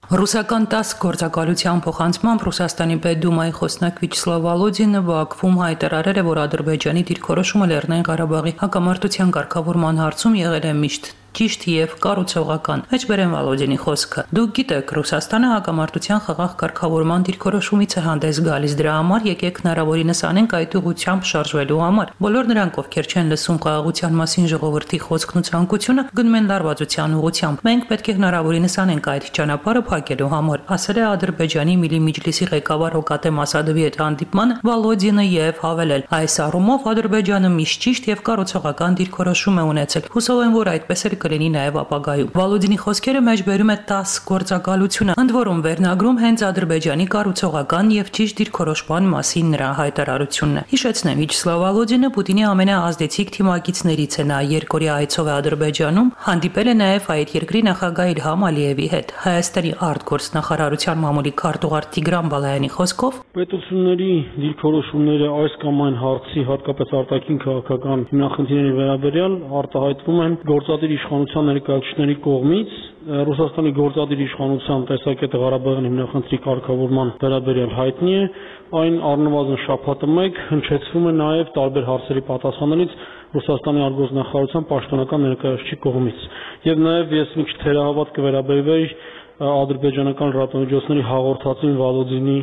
Ռուսական տասը գործակալության փոխանցմամբ Ռուսաստանի պետդումայի խոսնակ Վյաչեսլավ Վոլոդինը Բաքվում հայտարարել է, որ Ադրբեջանի դիրքորոշումը Լեռնային Ղարաբաղի հակամարտության կարգավորման հարցում եղել է միշտ ճիշտ եւ կառուցողական։ Մեջբերեն Վոլոդինի խոսքը։ Դուք գիտեք, Ռուսաստանը հակամարտության խաղաղ կարգավորման դիրքորոշումից է հանդես գալիս, դրա համար եկեք հնարավորինս անենք այդ ուղղությամբ շարժվելու համար։ Բոլոր նրանք, ովքեր չեն լսում խաղաղության մասին ժողովրդի խոսքն ու ցանկությունը, գնում են լարվածության ուղղությամբ։ Մենք պետք է հնարավորինս անենք այդ ճանապարհը փակելու համար, ասել է Ադրբեջանի Միլի Միջլիսի ղեկավար Հոկատեմ Ասադովի հետ հանդիպմանը Վոլոդինը եւ հավելել. այս առումով Ադրբեջանը միշտ ճիշտ եւ կառուցողական դիրքորոշում է ունեցել։ Հուսով եմ, որ այդպես էլ կլինի նաև ապագայում։ Վոլոդինի խոսքերը մեջբերում է տասը գործակալությունը, ընդ որում վերնագրում հենց Ադրբեջանի կառուցողական եւ ճիշտ դիրքորոշման մասին նրա հայտարարությունն է։ Հիշեցնեմ, Վյաչեսլավ Վոլոդինը Պուտինի ամենաազդեցիկ թիմակիցներից է, նա երկօրյա այցով է Ադրբեջանում, հանդիպել է նաև այդ երկրի նախագահ Իլհամ Ալիևի հետ։ Հայաստանի արտգործնախարարության մամուլի քարտուղար Տիգրան Բալայանի խոսքով պետությունների դիրքորոշումները այս կամ այն հարցի, հատկապես արտաքին քաղաքական հիմնախնդիրների վերաբերյալ արտահայտվում են գործադիր իշխանության ներկայացուցիչների կողմից Ռուսաստանի գործադիր իշխանության տեսակետը Ղարաբաղյան հիմնախնդրի կարգավորման վերաբերյալ հայտնի է, այն առնվազն շաբաթը մեկ հնչեցվում է նաև տարբեր հարցերի պատասխաններից Ռուսաստանի արտգործնախարարության պաշտոնական ներկայացուցիչի կողմից։ Եվ նաև ես մի քիչ թերահավատ կվերաբերվեի ադրբեջանական լրատվամիջոցների հաղորդածին Վոլոդինի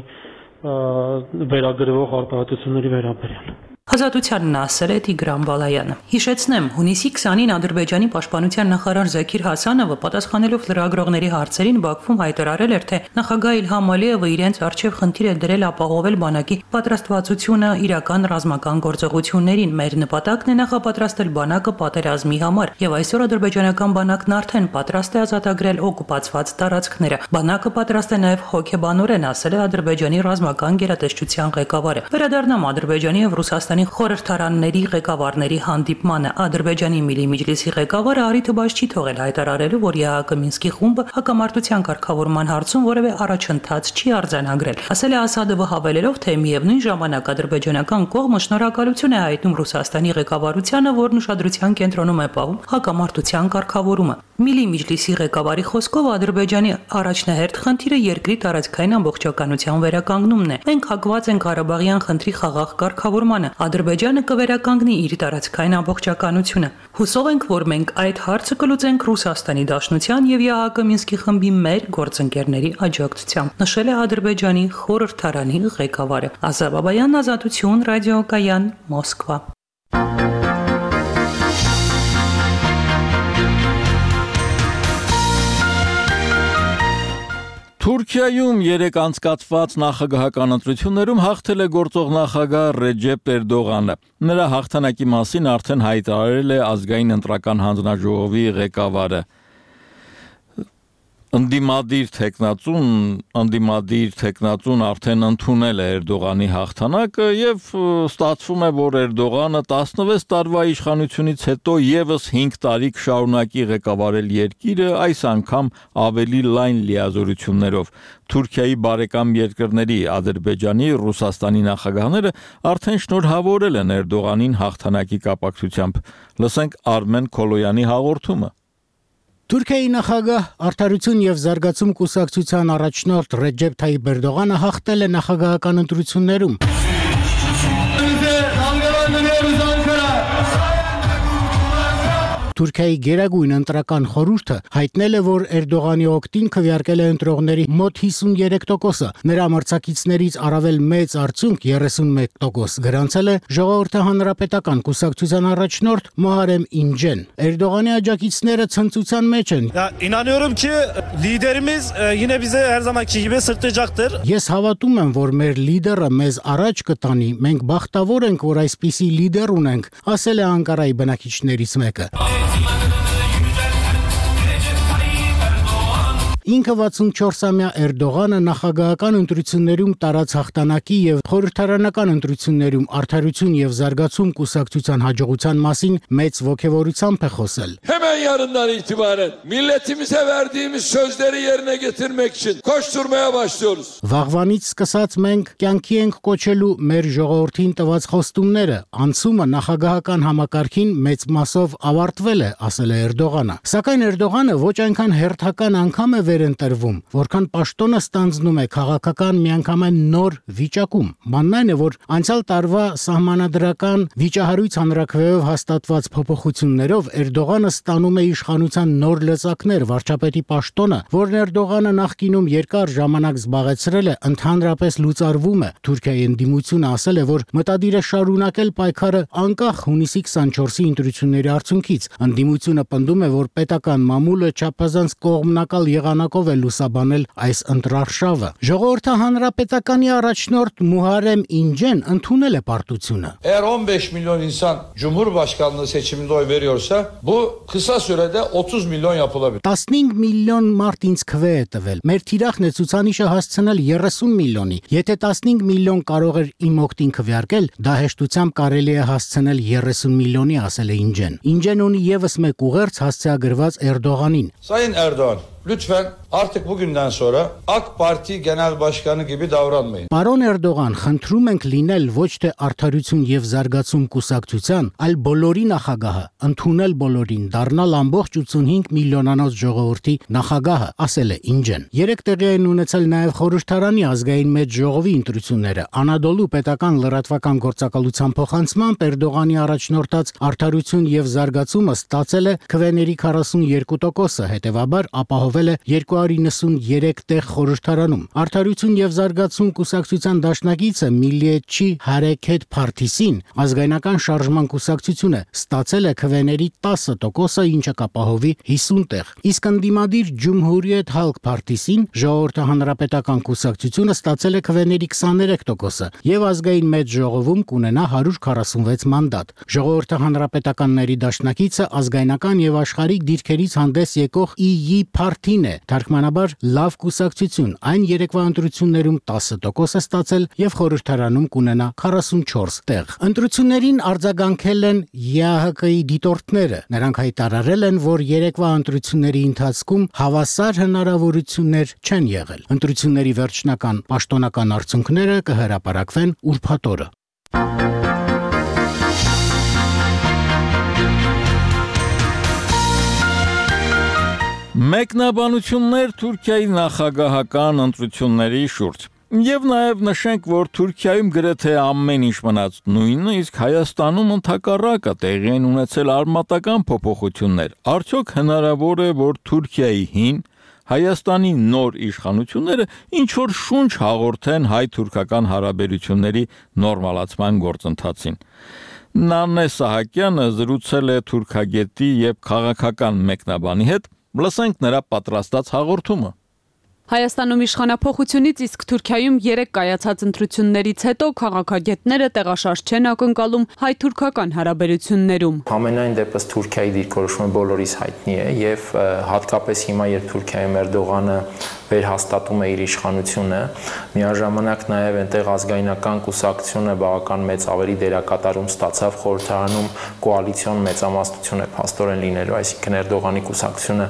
վերագրվող արտահայտությունների վերաբերյալ։ Ազատությանն ասել է Տիգրան Բալայանը։ Հիշեցնեմ, հունիսի քսանին Ադրբեջանի պաշտպանության նախարար Զաքիր Հասանովը պատասխանելով լրագրողների հարցերին Բաքվում հայտարարել էր, թե նախագահ Իլհամ Ալիևը իրենց արչև խնդիր է դրել ապահովել բանակի պատրաստվածությունը իրական ռազմական գործողություններին։ Մեր նպատակն է նախապատրաստել բանակը պատերազմի համար, եւ այսօր ադրբեջանական բանակն արդեն պատրաստ է ազատագրել օկուպացված տարածքները։ Բանակը պատրաստ է նաև հոգեբանորեն, ասել է Ադրբեջանի ռազմական գերատեսչության ղեկավարը։ Վերադառնամ Ադրբեջանի եւ Ռուսաստանի խորհրդարանների ղեկավարների հանդիպմանը։ Ադրբեջանի Միլի Միջլիսի ղեկավարը առիթը բաց չի թողել հայտարարելու, որ ԵԱՀԿ Մինսկի խումբը հակամարտության կարգավորման հարցում որևէ առաջընթաց չի արձանագրել։ Ասել է Ասադովը հավելելով, թե միևնույն ժամանակ ադրբեջանական կողմը շնորհակալություն է հայտնում Ռուսաստանի ղեկավարությանը, որն ուշադրության կենտրոնում է պահում հակամարտության կարգավորումը։ Միլի Միջլիսի ղեկավարի խոսքով Ադրբեջանի առաջնահերթ խնդիրը երկրի տարածքային ամբողջականության վերականգնումն է։ Մենք հակված ենք Ղարաբաղյան խնդրի խաղաղ կարգավորմանը։ Ադրբեջանը կվերականգնի իր տարածքային ամբողջականությունը։ Հուսով ենք, որ մենք այդ հարցը կլուծենք Ռուսաստանի Դաշնության եւ ԵԱՀԿ Մինսկի խմբի մեր գործընկերների աջակցությամբ, նշել է Ադրբեջանի խորհրդարանի ղեկավարը։ Ազա Բաբայան, Ազատություն, ռադիոկայան, Մոսկվա։ Թուրքիայում երեք անցկացված նախագահական ընտրություններում հաղթել է գործող նախագահ Ռեջեփ Էրդողանը։ Նրա հաղթանակի մասին արդեն հայտարարել է ազգային ընտրական հանձնաժողովի ղեկավարը։ Ընդդիմադիր տեխնացուն, ընդդիմադիր տեխնացուն արդեն ընդունել է Էրդողանի հաղթանակը եւ ստացվում է, որ Էրդողանը տասնվեց տարվա իշխանությունից հետո եւս հինգ տարի կշարունակի ղեկավարել երկիրը, այս անգամ ավելի լայն լիազորություններով։ Թուրքիայի բարեկամ երկրների Ադրբեջանի, Ռուսաստանի նախագահները արդեն շնորհավորել են Էրդողանին հաղթանակի կապակցությամբ։ Լսենք Արմեն Քոլոյանի հաղորդումը։ Թուրքիայի նախագահ Արդարություն եւ զարգացում կուսակցության առաջնորդ Ռեջեփ Թայիփ Էրդողանը հաղթել է նախագահական ընտրություններում։ Թուրքիայի գերագույն ընտրական խորհուրդը հայտնել է, որ Էրդողանի օգտին քվեարկել է ընտրողների մոտ հիսունյոթ տոկոսը, նրա մրցակիցներից առավել մեծ արդյունք երեսունմեկ տոկոս գրանցել է Ժողովրդի հանրապետական կուսակցության առաջնորդ Մոհարեմ Ինջեն։ Էրդողանի աջակիցները ցնծության մեջ են։ İnanıyorum ki liderimiz yine bize her zamanki gibi sırtlayacaktır. Ես հավատում եմ, որ մեր լիդերը մեզ առաջ կտանի։ Մենք բախտավոր ենք, որ այսպիսի լիդեր ունենք, ասել է Անկարայի բնակիչներից մեկը։ Ինքը վաթսունչորսամյա Էրդողանը նախագահական ընտրություններում տարած հաղթանակի եւ խորհրդարանական ընտրություններում արդարություն եւ զարգացում կուսակցության հաջողության մասին մեծ ոգևորությամբ է խոսել. Hemen yarından itibaren milletimize verdiğimiz sözleri yerine getirmek için koşturmaya başlıyoruz. Վաղվանից սկսած մենք կյանքի ենք կոչելու մեր ժողովրդին տված խոստումները, անցումը նախագահական համակարգին մեծ մասով ավարտվել է, ասել է Էրդողանը։ Սակայն Էրդողանը ոչ այնքան հերթական անգամ է վերընտրվում, որքան պաշտոնը ստանձնում է քաղաքական միանգամայն նոր վիճակում։ Բանն այն է, որ անցյալ տարվա սահմանադրական վիճահարույց հանրաքվեով հաստատված փոփոխություններով Էրդողանը ստանում է իշխանության նոր լծակներ, վարչապետի պաշտոնը, որն Էրդողանը նախկինում երկար ժամանակ զբաղեցրել է, ընդհանրապես լուծարվում է։ Թուրքիայի ընդդիմությունը ասել է, որ մտադիր է շարունակել պայքարը անկախ հունիսի քսանչորսի ընտրությունների արդյունքից։ Ընդդիմությունը պնդում է, որ պետական մամուլը չափազանց կողմնակալ եղանակով է լուսաբանել այս ընտրարշավը։ Ժողովրդի հանրապետականի առաջնորդ Muharrem İnce'n ընդունել է պարտությունը։ Eğer on beş milyon insan Cumhurbaşkanlığı seçiminde oy veriyorsa bu kısa sürede otuz milyon yapılabilir. տասնհինգ միլիոն մարդ ինձ քվե է տվել։ Մեր թիրախն է ցուցանիշը հասցնել երեսուն միլիոնի։ Եթե տասնհինգ միլիոն կարող էր իմ օգտին քվեարկել, դա հեշտությամբ կարելի է հասցնել երեսուն միլիոնի, ասել է Ինջեն։ Ինջեն ունի եւս մեկ ուղերձ հասցեագրված Էրդողանին։ Sayın Erdoğan, lütfen artık bugünden sonra AK Parti Genel Başkanı gibi davranmayın. Պարոն Էրդողան, խնդրում ենք լինել ոչ թե արդարություն եւ զարգացում կուսակցության, այլ բոլորի նախագահը, ընդունել բոլորին, դառնալ ամբողջ ութսունհինգ միլիոնանոց ժողովրդի նախագահը, ասել է Ինջեն։ Երեք տեղի են ունեցել նաեւ խորհրդարանի ազգային մեծ ժողովի ընտրությունները։ Անադոլու պետական լրատվական գործակալության փոխանցմամբ Էրդողանի առաջնորդած արդարություն եւ զարգացումը ստացել է քվեների քառասունյոթ տոկոսը, հետեւաբար ապահովել է երկու հարյուր նվսունյոթ տեղ խորհրդարանում։ Արդարություն եւ զարգացում կուսակցության դաշնակիցը Միլիեչի Հարեքեթ Փարթիսին ազգայնական շարժման կուսակցությունը ստացել է քվեների տասը տոկոսը, ինչը կապահովի հիսուն տեղ։ Իսկ ընդդիմադիր Ջումհուրիեթ Հալկ Փարթիսին ժողովրդի հանրապետական կուսակցությունը ստացել է քվեների քսաներեք տոկոսը եւ ազգային մեծ ժողովում կունենա հարյուր քառասունվեց մանդատ։ Ժողովրդի հանրապետականների դաշնակիցը ազգայնական եւ աշխարհիկ դիրքերից հանդես եկող ի յի Փարթին է, թարգմանաբար լավ կուսակցություն, այն երեկվա ընտրություններում տասը տոկոս է ստացել եւ խորհրդարանում կունենա քառասունչորս տեղ։ Ընտրություններին արձագանքել են ԵԱՀԿ-ի դիտորդները։ Նրանք հայտարարել են, որ երեկվա ընտրությունների ընթացքում հավասար հնարավորություններ չեն եղել։ Ընտրությունների վերջնական պաշտոնական արդյունքները կհրապարակվեն ուրբաթ օրը։ Մեկնաբանություններ Թուրքիայի նախագահական ընտրությունների շուրջ։ Եվ նաև նշենք, որ Թուրքիայում գրեթե ամեն ինչ մնաց նույնը, իսկ Հայաստանում ընդհակառակը տեղի են ունեցել արմատական փոփոխություններ։ Արդյոք հնարավոր է, որ Թուրքիայի հին Հայաստանի նոր իշխանությունները ինչ որ շունչ հաղորդեն հայ-թուրքական հարաբերությունների նորմալացման գործընթացին։ Նանե Սահակյանը զրուցել է թուրքագետի եւ քաղաքական մեկնաբանի հետ, լսենք նրա պատրաստած հաղորդումը։ Հայաստանում իշխանափոխությունից իսկ Թուրքիայում երեք կայացած ընտրություններից հետո քաղաքագետները տեղաշարժ չեն ակնկալում հայ-թուրքական հարաբերություններում։ Ամենայն դեպս Թուրքիայի դիրքորոշումը բոլորիս հայտնի է եւ հատկապես հիմա երբ Թուրքիայում Էրդողանը վերհաստատում է իր իշխանությունը, միաժամանակ նաև այնտեղ ազգայնական կուսակցությունը բավական մեծ ավելի դերակատարում ստացավ խորհրդարանում կոալիցիոն մեծամասնություն է փաստորեն լինելու, այսինքն Էրդողանի կուսակցությունը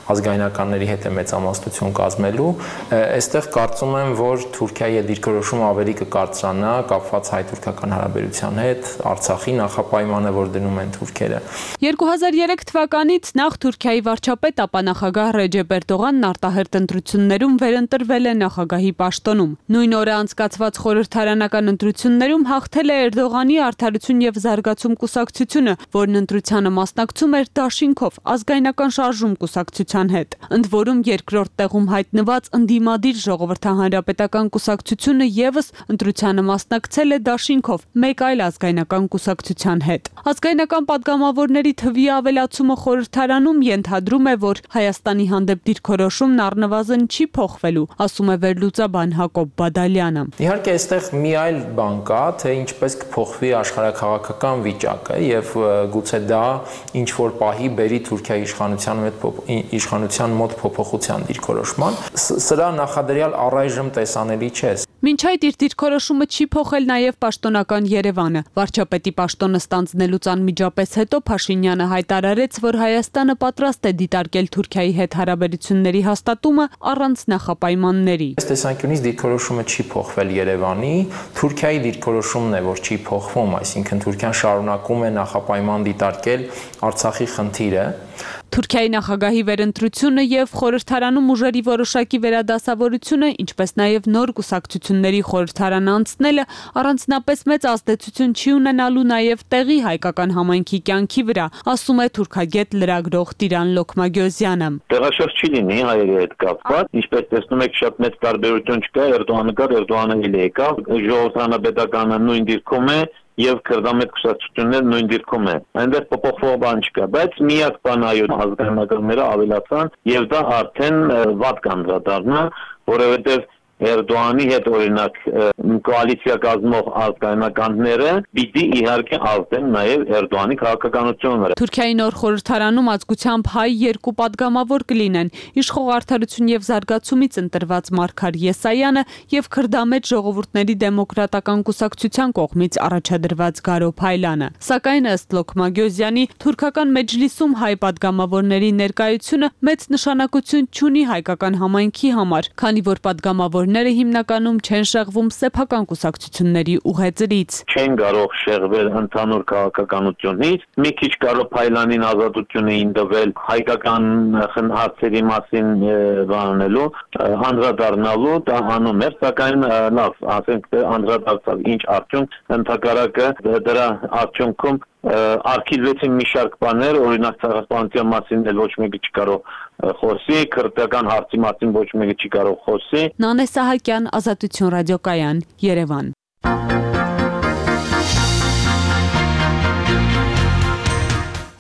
ազգայնականների հետ է մեծամասնություն կազմելու, այստեղ կարծում եմ, որ Թուրքիայի դիրքորոշումը ավելի կկարծրանա կապված հայ-թուրքական հարաբերության հետ, Արցախի նախապայմանը, որ դնում են թուրքերը։ երկու հազար երեք թվականից նախ Թուրքիայի վարչապետ, ապա նախագահ Ռեջեփ Էրդողանն արտահերտ ընտրություններում վերընտրվել է նախագահի պաշտոնում։ Նույն օրը անցկացված խորհրդարանական ընտրություններում հաղթել է Էրդողանի Արդարություն եւ զարգացում կուսակցությունը, որն ընտրությանը մասնակցում էր դաշինքով ազգայնական շարժում կուսակցության հետ։ Ընդ որում երկրորդ տեղում հայտնված ընդդիմադիր ժողովրդահանրապետական կուսակցությունը եւս ընտրությանը մասնակցել է դաշինքով մեկ այլ ազգայնական կուսակցության հետ։ Ազգայնական падգամավորների թվի ավելացումը խորհրդարանում ենթադրում է, որ Հայաստանի հանդեպ դիրքորոշումն առնվազն չի չի փոխվելու, ասում է վերլուծաբան Հակոբ Բադալյանը։ Իհարկե, այստեղ մի այլ բան կա, թե ինչպես կփոխվի աշխարհաքաղաքական վիճակը եւ գուցե դա ինչ որ պահի բերի Թուրքիայի իշխանության մոտ իշխանության մոտ փոփոխության դիրքորոշման։ Սրա նախադրյալ առայժմ տեսանելի չէ։ Մինչ այդ իր դիրքորոշումը չի փոխել նաև պաշտոնական Երևանը։ Վարչապետի պաշտոնը ստանձնելուց անմիջապես հետո Փաշինյանը հայտարարեց, որ Հայաստանը պատրաստ է դիտարկել Թուրքիայի հետ հարաբերությունների հաստատումը առանց նախապայմանների։ Այս տեսանկյունից դիրքորոշումը չի փոխվել Երևանի, Թուրքիայի դիրքորոշումն է, որ չի փոխվում, այսինքն Թուրքիան շարունակում է նախապայման դիտարկել Արցախի խնդիրը։ Թուրքիայի նախագահի վերընտրությունը եւ խորհրդարանում ուժերի որոշակի վերադասավորությունը, ինչպես նաեւ նոր կուսակցությունների խորհրդարան անցնելը առանձնապես մեծ ազդեցություն չի ունենալու նաեւ տեղի հայկական համայնքի կյանքի վրա, ասում է թուրքագետ լրագրող Տիրան Լոքմագյոզյանը։ Տեղաշարժ չի լինի հայերի հետ կապված, ինչպես տեսնում եք, շատ մեծ տարբերություն չկա, Էրդողանը կար, Էրդողանը էլ եկավ, ժողովրդանապետականը նույն դիրքում է եւ քրդամետ կուսակցությունները նույն դիրքում է։ Այնտեղ փոփոխող բան չկա, բայց միակ բանը այո ազգանականները ավելացան եւ դա արդեն վատ կանդրադառնա, որովհետեւ Էրդողանի հետ օրինակ կոալիցիա կազմող ազգայնականները պիտի իհարկե ազդեն նաև Էրդողանի քաղաքականությունները։ Թուրքիայի նոր խորհրդարանում ազգությամբ հայ երկու падգամավոր կլինեն՝ իշխող Արդարություն եւ զարգացումից ընտրված Մարգար Եսայանը եւ քրդամետ ժողովուրդների դեմոկրատական կուսակցության կողմից առաջադրված Գարո Փայլանը։ Սակայն ըստ Լոքմագյոզյանի թուրքական մեջլիսում հայ падգամավորների ներկայությունը մեծ նշանակություն չունի հայկական համայնքի համար, քանի որ падգամավոր ները հիմնականում չեն շեղվում սեփական կուսակցությունների ուղեծրից։ Չեն կարող շեղվել ընդհանուր քաղաքականությունից, մի քիչ Գարո Փայլանին ազատություն էին տվել հայկական հարցերի մասին բանելու, անդրադառնալու, դա անում էր, սակայն լավ, ասենք անդրադարձավ ինչ արդյունք, ընդհակառակը դրա արդյունքում արգելվեցին մի շարք բաներ, օրինակ ցեղասպանության մասին էլ ոչ մեկը չի կարող խոսի, քրդական հարցի մասին ոչ մեկը չի կարող խոսի։ Նանե Սահակյան, Ազատություն ռադիոկայան, Երևան։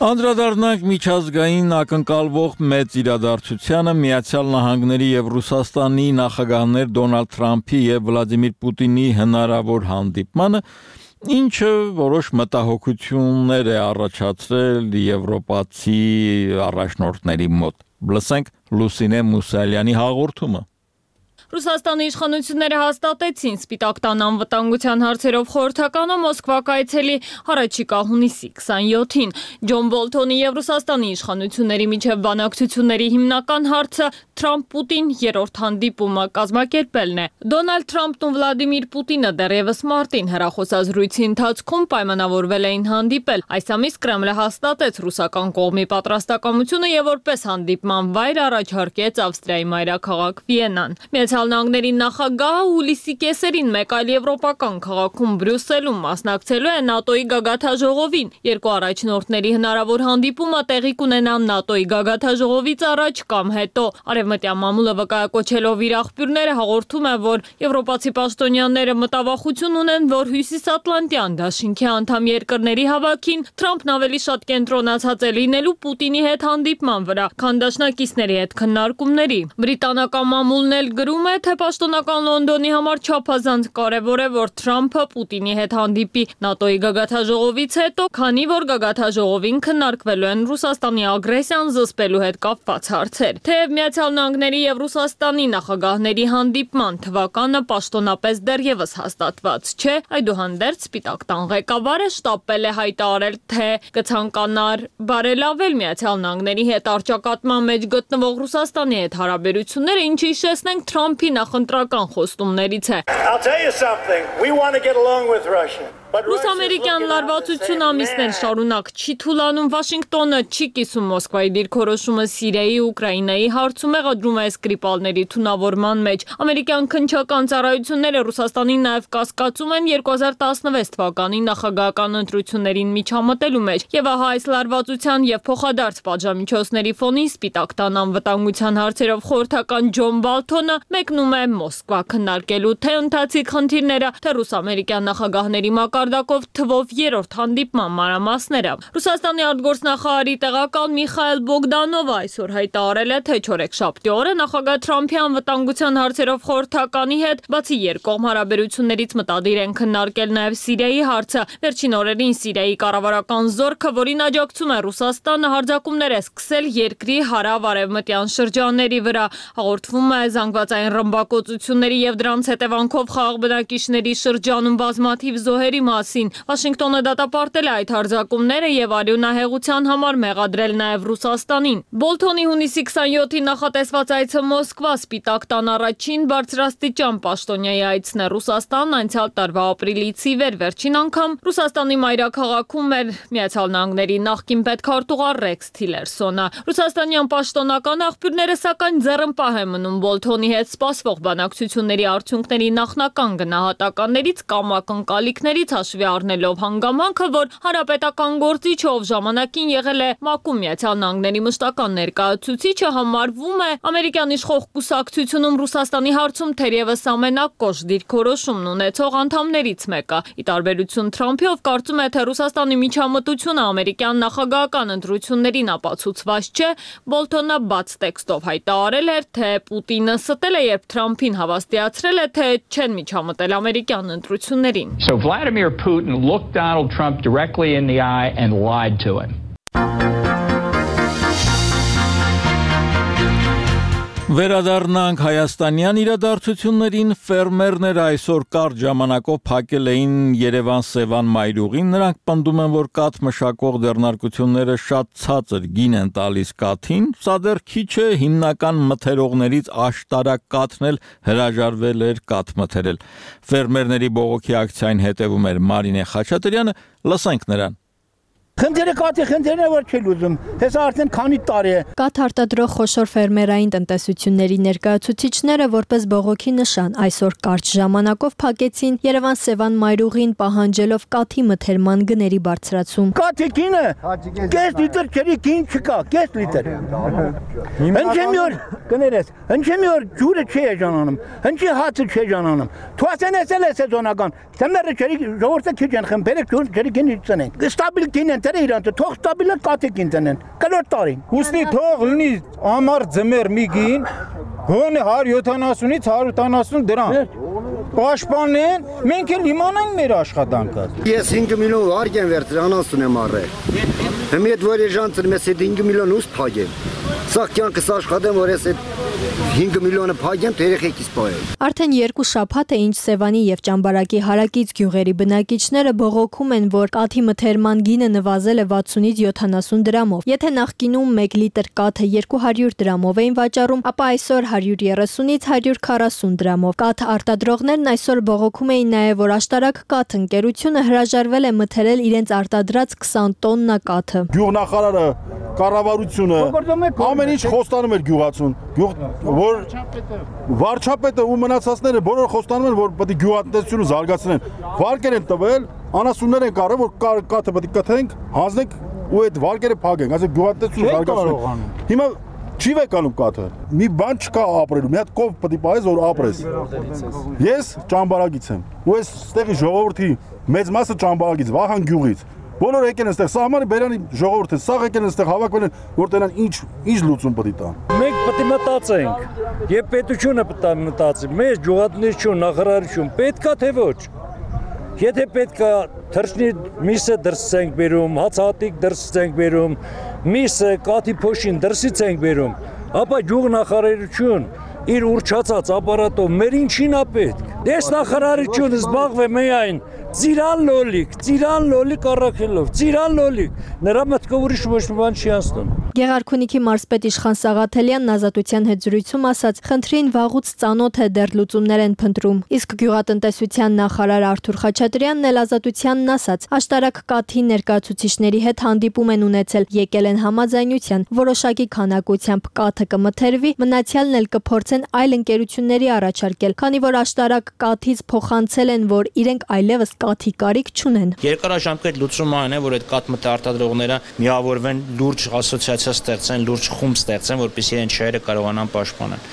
Անդրադառնանք միջազգային ակնկալվող մեծ իրադարձությանը Միացյալ Նահանգների եւ Ռուսաստանի նախագահներ Դոնալդ Թրամփի եւ Վլադիմիր Պուտինի հնարավոր հանդիպմանը, ինչը որոշ մտահոգություններ է առաջացրել եվրոպացի առաջնորդների մոտ։ Լսենք Լուսինե Մուսալյանի հաղորդումը։ Ռուսաստանի իշխանությունները հաստատեցին Սպիտակ տան անվտանգության հարցերով խորհրդականը Մոսկվա կայցելի առաջիկա հունիսի քսանյոթին։ Ջոն Բոլթոնի եւ Ռուսաստանի իշխանությունների միջև բանակցությունների հիմնական հարցը Թրամփ-Պուտին երրորդ հանդիպումը կազմակերպելն է։ Դոնալդ Թրամփն ու Վլադիմիր Պուտինը դեռևս մարտին հեռախոսազրույցի ընթացքում պայմանավորվել էին հանդիպել։ Այս ամիս Կրեմլը հաստատեց ռուսական կողմի պատրաստակամությունը եւ որպես հանդիպման վայր առաջարկեց Ավստրիայի մայրաքաղաք Վիեննան։ Միացյալ Նահանգների նախագահը հուլիսի կեսերին մեկ այլ եվրոպական քաղաքում Բրյուսելում մասնակցելու է ՆԱՏՕ-ի գագաթաժողովին։ Երկու առաջնորդների հնարավոր հանդիպումը տեղի կունենա ՆԱՏՕ-ի գագաթաժողովից առաջ կամ հետո։ Արևմտյան մամուլը վկայակոչելով իր աղբյուրները հաղորդում է, որ եվրոպացի պաշտոնյաները մտավախություն ունեն, որ Հյուսիսատլանտյան դաշինքի անդամ երկրների հավաքին Թրամփն ավելի շատ կենտրոնացած է լինելու Պուտինի հետ հանդիպման վրա, քան դաշնակիցների հետ քննարկումների։ Բրիտանական մամուլն էլ գրում է, թե պաշտոնական Լոնդոնի համար չափազանց կարևոր է, որ Թրամփը Պուտինի հետ հանդիպի ՆԱՏՕ-ի գագաթաժողովից հետո, քանի որ գագաթաժողովին քննարկվելու են Ռուսաստանի ագրեսիան զսպելու հետ կապված հարցեր։ Թեև Միացյալ Նահանգների եւ Ռուսաստանի նախագահների հանդիպման թվականը պաշտոնապես դեռևս հաստատված չէ, այդուհանդերձ Սպիտակ տան ղեկավարը շտապել է հայտարարել, թե կցանկանար բարելավել Միացյալ Նահանգների հետ առճակատման մեջ գտնվող Ռուսաստանի հետ հարաբերությունները, ինչը հիշեցնենք Թրամփի նախընտրական խոստումներից է։ Ռուս-ամերիկյան լարվածություն ամիսներ շարունակ չի թուլանում, Վաշինգտոնը չի կիսում Մոսկվայի դիրքորոշումը Սիրիայի ու Ուկրաինայի հարցում, մեղադրում է Սկրիպալների թունավորման մեջ։ Ամերիկյան քննչական ծառայությունները Ռուսաստանին նաև կասկածում են երկու հազար տասնվեց թվականի նախագահական ընտրություններին միջամտելու մեջ։ Եվ ահա այս լարվածության եւ փոխադարձ պատժամիջոցների ֆոնին Սպիտակ տան անվտանգության հարցերով խորհրդական Ջոն Բոլթոնը մեկնում է Մոսկվա քննարկելու թե ընթացիկ խնդիրները, թե ռուս-ամերիկյան նախագահների մակարդակը մակարդակով թվով երրորդ հանդիպման մանրամասները։ Ռուսաստանի արտգործնախարարի տեղակալ Միխայել Բոգդանովը այսօր հայտարարել է, թե չորեքշաբթի օրը նախագահ Թրամփի անվտանգության հարցերով խորհրդականի հետ բացի երկկողմ հարաբերություններից մտադիր են քննարկել նաև Սիրիայի հարցը։ Վերջին օրերին Սիրիայի կառավարական զորքը, որին աջակցում է Ռուսաստանը, հարձակումներ է սկսել երկրի հարավ-արևմտյան շրջանների վրա։ Հաղորդվում է զանգվածային ռմբակոծությունների եւ դրանց հետևանքով խաղաղ բնակիչների շրջանում բազմաթիվ զոհերի մասին։ Վաշինգտոնը դատապարտել է այդ հարձակումները եւ արյունահեղության համար մեղադրել նաև Ռուսաստանին։ Բոլթոնի հունիսի քսանյոթին նախատեսված այցը Մոսկվա Սպիտակ տան առաջին բարձրաստիճան պաշտոնյայի այցն է Ռուսաստան անցյալ տարվա ապրիլից ի վեր վերջին անգամ Ռուսաստանի մայրաքաղաքում էր Միացյալ Նահանգների նախկին պետքարտուղար Ռեքս Թիլերսոնը։ Ռուսաստանյան պաշտոնական աղբյուրները սակայն ձեռնպահ են մնում Բոլթոնի հետ սպասվող բանակցությունների արդյունքների նախնական գնահատականներից կամ ակնկալիքներից հաշվի առնելով հանգամանքը, որ հանրապետական գործիչը, ով ժամանակին եղել է ՄԱԿ-ում Միացյալ Նահանգների մշտական ներկայացուցիչը, համարվում է ամերիկյան իշխող կուսակցությունում Ռուսաստանի հարցում թերևս ամենակոշտ դիրքորոշումն ունեցող անդամներից մեկը։ Ի տարբերություն Թրամփի, ով կարծում է, թե Ռուսաստանի միջամտությունը ամերիկյան նախագահական ընտրություններին ապացուցված չէ, Բոլթոնը բաց տեքստով հայտարարել էր, թե Պուտինը ստել է, երբ Թրամփին հավաստիացրել է, թե չեն միջամտել ամերիկյան ընտրություններին։ So Vladimir Putin looked Donald Trump directly in the eye and lied to him. Վերադառնանք հայաստանյան իրադարձություններին, ֆերմերները այսօր կարճ ժամանակով փակել էին Երևան-Սևան մայրուղին, նրանք պնդում են, որ կաթ մշակող ձեռնարկությունները շատ ցածր գին են տալիս կաթին, սա դեռ քիչ է, հիմնական մթերողներից աշտարակ կաթն էլ հրաժարվել էր կաթ մթերել։ Ֆերմերների բողոքի ակցիային հետևում էր Մարինե Խաչատրյանը, լսենք նրան։ Խնդիրը կաթի խնդիրն է, որ չի լուծում։ Հեսա արդեն քանի տարի է։ Կաթ արտադրող խոշոր ֆերմերային տնտեսությունների ներկայացուցիչները որպես բողոքի նշան այսօր կարճ ժամանակով փակեցին Երևան-Սևան մայրուղին, պահանջելով կաթի մթերման գների բարձրացում։ Կաթի գինը կես լիտր ջրի գին չկա, կես լիտր։ Հնչի օր կներես, հնչի օր ջուրը չի էժանանում, հնչի հացը չի էժանանում։ Թվասեն էսել է սեզոնական։ Թեմերը ջրի ժողովուրդը քիչ են խմբերեք ջրի գին իջնեն։ Ստաբիլ գին են դերը իրանց թող ստաբիլը կաթիկ ինտենեն։ Կլոր տարին։ Ուստի թող լինի ամառ ձմեռ մի գին, գոնե հարյուր յոթանասունից հարյուր ութանասուն դրամ։ Պաշտպանեն, մենք էլ իմանանք մեր աշխատանքը։ Ես հինգ միլիոն վարկ եմ վերցրել, անասուն եմ առել։ Հիմա այդ որ եժանցր մեզ այդ հինգ միլիոն ուս փագեմ։ Սա կյանքս աշխատեմ, որ ես այդ հինգ միլիոնը փագեմ, թե երեխեքիս պահեմ։ Արդեն երկու շաբաթ է ինչ Սևանի եւ Ճամբարակի հարակից գյուղերի բնակիչները բողոքում են, որ կաթի մթերման գինը նվազել է վաթսունից յոթանասուն դրամով։ Եթե նախկինում մեկ լիտր կաթը երկու հարյուր դրամով էին վաճառում, ապա այսօր հարյուր երեսունից հարյուր քառասուն դրամով։ Կաթ արտադրողներն այսօր բողոքում էին նաեւ, որ աշտարակ կաթ ընկերությունը հրաժարվել է մթերել իրենց արտադրած քսան տոննա կաթը։ Գյուղնախարարը, կառավարությունը ամեն ինչ խոստանում էր գյուղացուն, որ վարչապետը ու մնացածները բոլորը խոստանում են, որ պետք է գյուղատնտեսությունը զարգացնեն։ Վարկեր են տվել, անասուններ են կարել, որ կաթը պետք է կթենք, հանձնենք ու այդ վարկերը փակենք, այսինքն գյուղատնտեսությունը զարգացնենք։ Հիմա չի վեկանում կաթը։ Մի բան չկա ապրելու, մի հատ կով պետք է պահես, որ ապրես։ Ես Ճամբարակից եմ, ու այս ստեղի ժողովրդի մեծ մասը Ճամբարակից, Վահան գյուղից։ Բոլորը եկեն այստեղ, սահմանը բերանի ժողովուրդը, սաղ եկեն այստեղ հավաքվել են, որ տենան ինչ ինչ լուծում պետք է տան։ Մենք պետք է մտածենք, եւ պետությունը պետք է մտածի, մեզ գյուղատնտեսություն, նախարարություն պետքա թե ոչ։ Եթե պետքա թռչնի միսը դրսից ենք բերում, հացահատիկ դրսից ենք բերում, միսը, կաթի փոշին դրսից ենք բերում, ապա գյուղնախարարություն իր ուրճացած ապարատով մեր ինչին է պետք։ Ես նախարարությունը զբաղվում է միայն ծիրան լոլիկ, ծիրան լոլիկ առաքելով, ծիրան լոլիկ, նրա մտքով ուրիշ ոչ մի բան չի անցնում։ Գեղարքունիքի մարզպետ Իշխան Սաղաթելյանն ազատության հետ զրույցում ասաց, խնդրին վաղուց ծանոթ է, դեռ լուծումներ են փնտրում։ Իսկ գյուղատնտեսության նախարար Արթուր Խաչատրյանն էլ ազատությանն ասաց, աշտարակ կաթի ներկայացուցիչների հետ հանդիպում են ունեցել, եկել են համաձայնության, որոշակի քանակությամբ կաթը կմթերվի, մնացյալն էլ կփորձեն այլ ընկերությունների առաջարկել, քանի որ աշտարակ կաթից փոխանցել են, որ իրենք այլևս կաթի կարիք չունեն։ Երկարաժամկետ լուծումը այն է, որ այդ կաթ մթերարտադրողները միավորվեն լուրջ ասոցիացիա կոալիցիա ստեղծեն, լուրջ խումբ ստեղծեն, որպեսզի իրենց շահերը կարողանան պաշտպանել։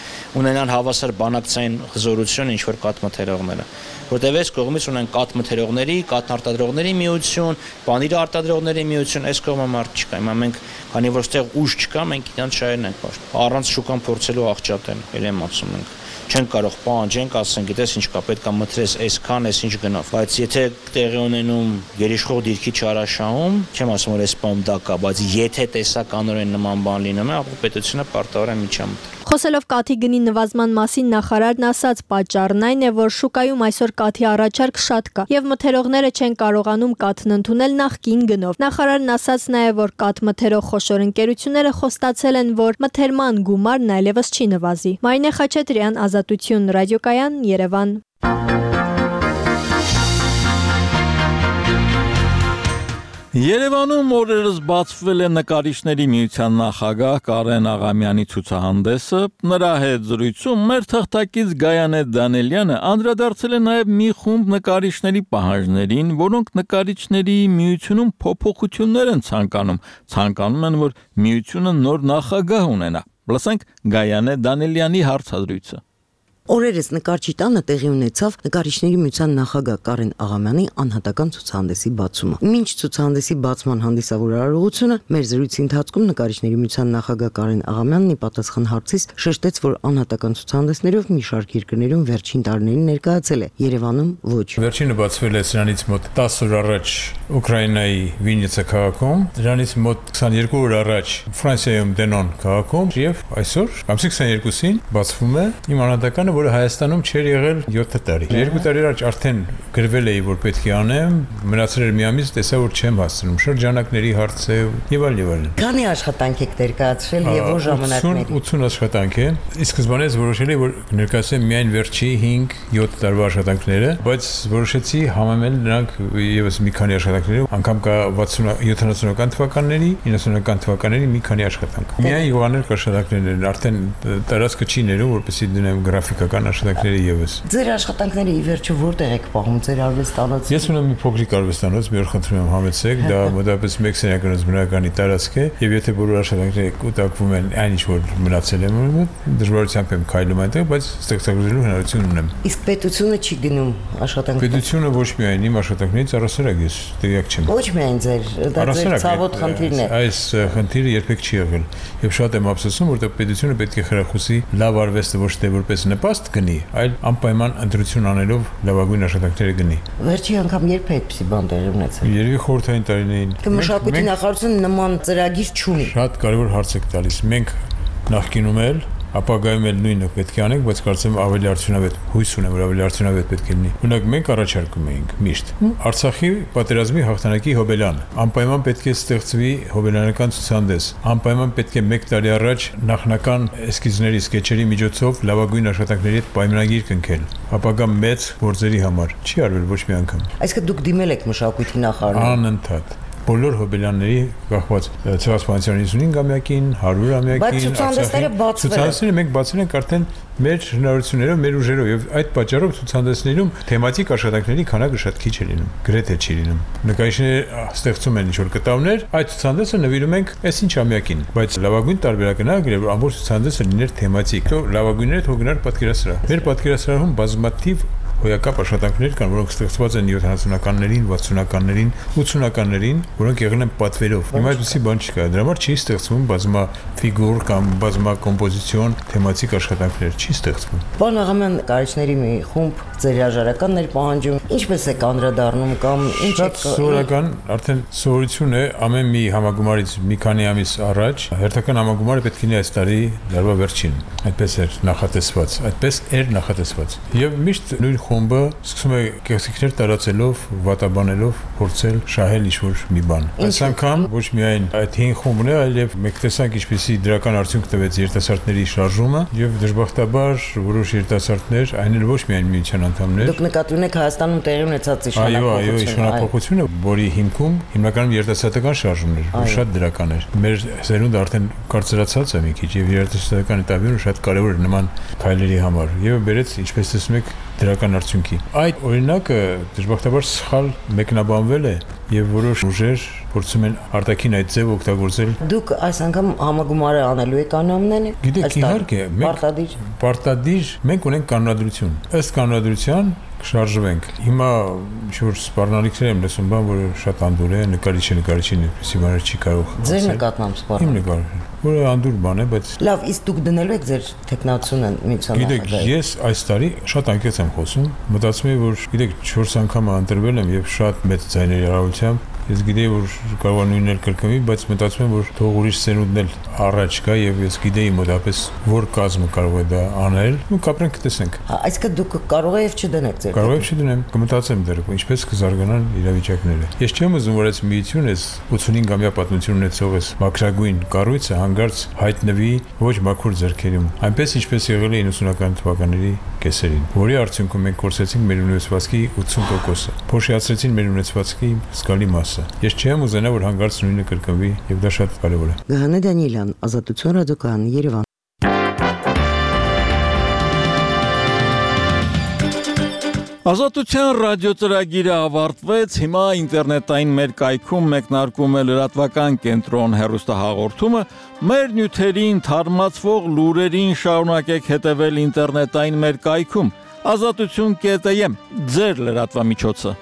Ունենան հավասար բանակցային հզորություն, ինչ որ կաթմթերողները, որտեղ այս կողմից ունեն կաթմթերողների, կաթնարտադրողների միություն, պանիր արտադրողների միություն, այս կողմը մարդ չկա։ Հիմա մենք, քանի որ այստեղ ուժ չկա, մենք իրանց շահերն ենք պաշտպանում։ Առանց շուկան փորձելու աղճատել, ել եմ ասում ենք։ Չեն կարող պահանջենք, ասեն, գիտես ինչ կա, պետք է մտրես այսքան, այս ինչ գնով։ Բայց եթե տեղի ունենում գերիշխող դիրքի չարաշահում, չեմ ասում որ այս բան դա կա, բայց եթե տեսականորեն նման բան լինում է, ապա պետությունը պարտավոր է միջամտել։ Խոսելով կաթի գնի նվազման մասին նախարարն ասաց, պատճառն այն է, որ շուկայում այսօր կաթի առաջարկ շատ կա եւ մթերողները չեն կարողանում կաթն ընդունել նախկին գնով։ Նախարարն ասաց նաեւ, որ կաթ մթերող խոշոր ընկերությունները խոստացել են, որ մթերման գումարն այլևս չի նվազի։ Մարինե Խաչատրյան, Ազատություն, ռադիոկայան, Երևան։ Երևանում օրերս բացվել է նկարիչների միության նախագահ Կարեն Աղամյանի ցուցահանդեսը, նրա հետ զրույցում մեր թղթակից Գայանե Դանելյանը անդրադարձել է նաև մի խումբ նկարիչների պահանջներին, որոնք նկարիչների միությունում փոփոխություններ են ցանկանում, ցանկանում են, որ միությունը նոր նախագահ ունենա։ Լսենք Գայանե Դանելյանի հարցազրույցը։ Օրերս նկարչի տանը տեղի ունեցավ նկարիչների միության նախագահ Կարեն Աղամյանի անհատական ցուցահանդեսի բացումը։ Մինչ ցուցահանդեսի բացման հանդիսավոր արարողությունը մեր զրույցի ընթացքում նկարիչների միության նախագահ Կարեն Աղամյանն ի պատասխան հարցից շեշտեց, որ անհատական ցուցահանդեսներով մի շարք երկրներում վերջին տարիներին ներկայացել է, Երևանում ոչ։ Վերջինը բացվել է սրանից մոտ տասը օր առաջ Ուկրաինայի Վիննիցա քաղաքում, դրանից մոտ քսաներկու օր առաջ Ֆրանսիայում Դենոն քաղաքում եւ այսօր ամսի քսաներկուսին բացվում է իմ անհատականը, որը Հայաստանում չէր եղել յոթ տարի։ Երկու տարի առաջ արդեն գրվել էի, որ պետք է անեմ, մնացել էր մի ամիս, տեսա որ չեմ հասցնում, շրջանակների հարց է եւ այլ եւ այլն։ Քանի աշխատանք եք ներկայացրել եւ որ ժամանակների։ ութուն աշխատանք է։ Իսկ սկզբանից որոշել էի, որ ներկայացեմ միայն վերջի հինգ-յոթ տարվա աշխատանքները, բայց որոշեցի համեմել նրանք եւս մի քանի աշխատանքներով, անգամ կա յոթանասունական թվականների, իննասունական թվականների մի քանի աշխատանք։ Միայն յուղաներ աշխատանքներն են, արդեն տարածքը չի ներում, որպեսզի դնեմ գրաֆիկա աշխատանքները եւս։ Ձեր աշխատանքները ի վերջո որտեղ եք պահում, ձեր արվեստանոցը։ Ես ունեմ մի փոքրիկ արվեստանոց, մի օր խնդրում եմ համեցեք, դա մոտավորապես մեկ սենյականոց բնականի տարածք է, եւ եթե բոլոր աշխատանքները կուտակվում են, այն ինչ որ մնացել է, դժվարությամբ եմ քայլում այնտեղ, բայց ստեղծագործելու հնարավորություն ունեմ։ Իսկ պետությունը չի գնում աշխատանքները։ Պետությունը ոչ միայն իմ աշխատանքներից առասարակ ես տեղյակ չեմ։ Ոչ միայն ձեր, դա ձեր ցավոտ խնդիրն է։ Այս խնդիրը երբեք չի եղել, եւ շատ եմ ափսոսում, որտեղ պետությունը պետք է խրախուսի լավ արվեստը ոչ թե որպես նպաստ գնի, այլ անպայման ընտրություն անելով լավագույն աշխատանքները գնի։ Վերջի անգամ երբ է այդպիսի բան տեղի ունեցել։ Երևի խորհրդային տարիներին։ Մշակույթի նախարարությունը նման ծրագիր չունի։ Շատ կարևոր հարց եք տալիս։ Մենք նախկինում էլ ապագայում էլ նույնը պետք է անենք, բայց կարծեմ ավելի արդյունավետ, հույս ունեմ, որ ավելի արդյունավետ պետք է լինի։ Օրինակ մենք առաջարկում էինք միշտ Արցախի պատերազմի հաղթանակի հոբելյան, անպայման պետք է ստեղծվի հոբելյանական ցուցահանդես, անպայման պետք է մեկ տարի առաջ նախնական էսքիզների, սկեչերի միջոցով լավագույն աշխատանքների հետ պայմանագիր կնքել, ապագա մեծ գործերի համար։ Չի արվել ոչ մի անգամ։ Այսինքն դուք դիմել եք մշակույթի նախարարին։ Անընդհատ բոլոր հոբելյանների կախված ցեղասպանության հինգամյակին, հարյուրամյակին, բայց ցուցահանդեսները բացվել են։ Ցուցահանդեսները մենք բացել ենք արդեն մեր հնարավորություններով, մեր ուժերով եւ այդ պատճառով ցուցահանդեսներում թեմատիկ աշխատանքների քանակը շատ քիչ է լինում, գրեթե չի լինում։ Նկարիչները ստեղծում են ինչ-որ կտավներ, այդ ցուցահանդեսը նվիրում ենք այսինչ ամյակին, բայց լավագույն տարբերակն է, որ ամբողջ ցուցահանդեսը լիներ թեմատիկ։ Լավագույնները թող գնար պատկերասրահ։ Մեր պատկերասրահում բազմաթիվ հոյակապ աշխատանքներ կան, որոնք ստեղծված են յոթանասունականներին, վաթսունականներին, ութսունականներին, որոնք եղել են պատվերով։ Հիմա այդպիսի բան չկա։ Դրա համար չի ստեղծվում բազմաֆիգուր կամ բազմակոմպոզիցիոն թեմատիկ աշխատանքներ, չի ստեղծվում։ Պարոն Աղամյան, նկարիչների մի խումբ ձեր հրաժարականներ պահանջում, ինչպես եք անդրադառնում կամ ինչ եք։ Սովորական արդեն սովորություն է ամեն մի համագումարից մի քանի ամիս առաջ հերթական համագումարը պետք է լինի այս տարի դարվա վերջին։ Այդպես էր նախատեսված, այդպես էր նախատեսված։ Եվ միշտ նույն խումբը սկսում է կեղծիքներ տարածելով, վատաբանելով, փորձել շահել ինչ-որ մի բան։ Այս անգամ ոչ միայն այդ հին խումբն է, այլև մեկ տեսանք ինչպեսի դրական արդյունք տվեց երիտասարդների շարժումը եւ դժբախտաբար որոշ երիտասարդներ, այն էլ ոչ միայն միության անդամներ։ Դուք նկատի ունեք Հայաստանում տեղի ունեցած իշխանապողությունը։ Այո, այո, իշխանապողությունը, որի հիմքում հիմնականում երիտասարդական շարժումն էր, որ շատ դրական էր։ Մեր սերունդը արդեն կարծրացած է մի քիչ եւ երիտասարդական этаպում շատ կարեւոր է նման քայլերի համար։ Եվ բերեց, ինչպես տեսնում եք, դրական արդյունքի։ Այդ օրինակը դժբախտաբար սխալ մեկնաբանվել է եւ որոշ ուժեր փորձում են արտաքին այդ ձև օգտագործել։ Դուք այս անգամ համագումարը անելու եք կանոնները։ Գիտեք, իհարկե, մենք պարտադիր մենք ունենք կանոնադրություն։ Ըստ կանոնադրության շարժվենք։ Հիմա ինչ-որ սպառնալիքներ եմ լսում, բան, որ շատ անդուր է, նկարիչը նկարիչին այդպեսի բաներ չի կարող։ Ձեր նկատմամբ սպառնալիք։ Իմ նկարը, որը անդուր բան է, բայց լավ, իսկ դուք դնելու եք ձեր տեխնացիոնը միության։ Գիտեք, ես այս տարի շատ անկեղծ եմ խոսում, մտածում եմ, որ գիտեք, չորս անգամ ընտրվել եմ եւ շատ մեծ ձայների առավելությամբ Ես գիտեի, որ կարող է նույնն էլ կրկնվի, բայց մտածում եմ, որ թող ուրիշ սերունդն էլ առաջ գա եւ ես գիտեի մոտապես որ կազմը կարող է դա անել, ու կապրենք կտեսնենք։ Այսինքն դուք կարող եք չդնեք ձեր։ Կարող եք չդնեմ, կմտածեմ դեռ, ինչպես կզարգանան իրավիճակները։ Ես չեմ ուզում, որ այս միությունը, այս ութունհինգամյա պատմություն ունեցող այս մակրագույն կառույցը հանգարց հայտնվի ոչ մաքուր ձեռքերում, այնպես ինչպես եղել է իննսունական թվականների կեսերին, որի արդյունքում մենք կորցրեցինք մեր ունեցվածքի ութուն տոկոսը, փոշիացրեցին մեր ունեցվածքի զգալի մասը։ Ես չեմ ուզենա, որ հանգարց նույնը կրկնվի, եւ դա շատ կարեւոր է։ Գահանե Դանիելյան, Ազատություն ռադիոկայան, Երևան։ Ազատության ռադիոծրագիրը ավարտվեց, հիմա ինտերնետային մեր կայքում մեկնարկում է լրատվական կենտրոն հեռուստահաղորդումը, մեր նյութերին թարմացվող լուրերին շարունակեք հետևել ինտերնետային մեր կայքում, ազատություն կետ եմ, ձեր լրատվամիջոցը։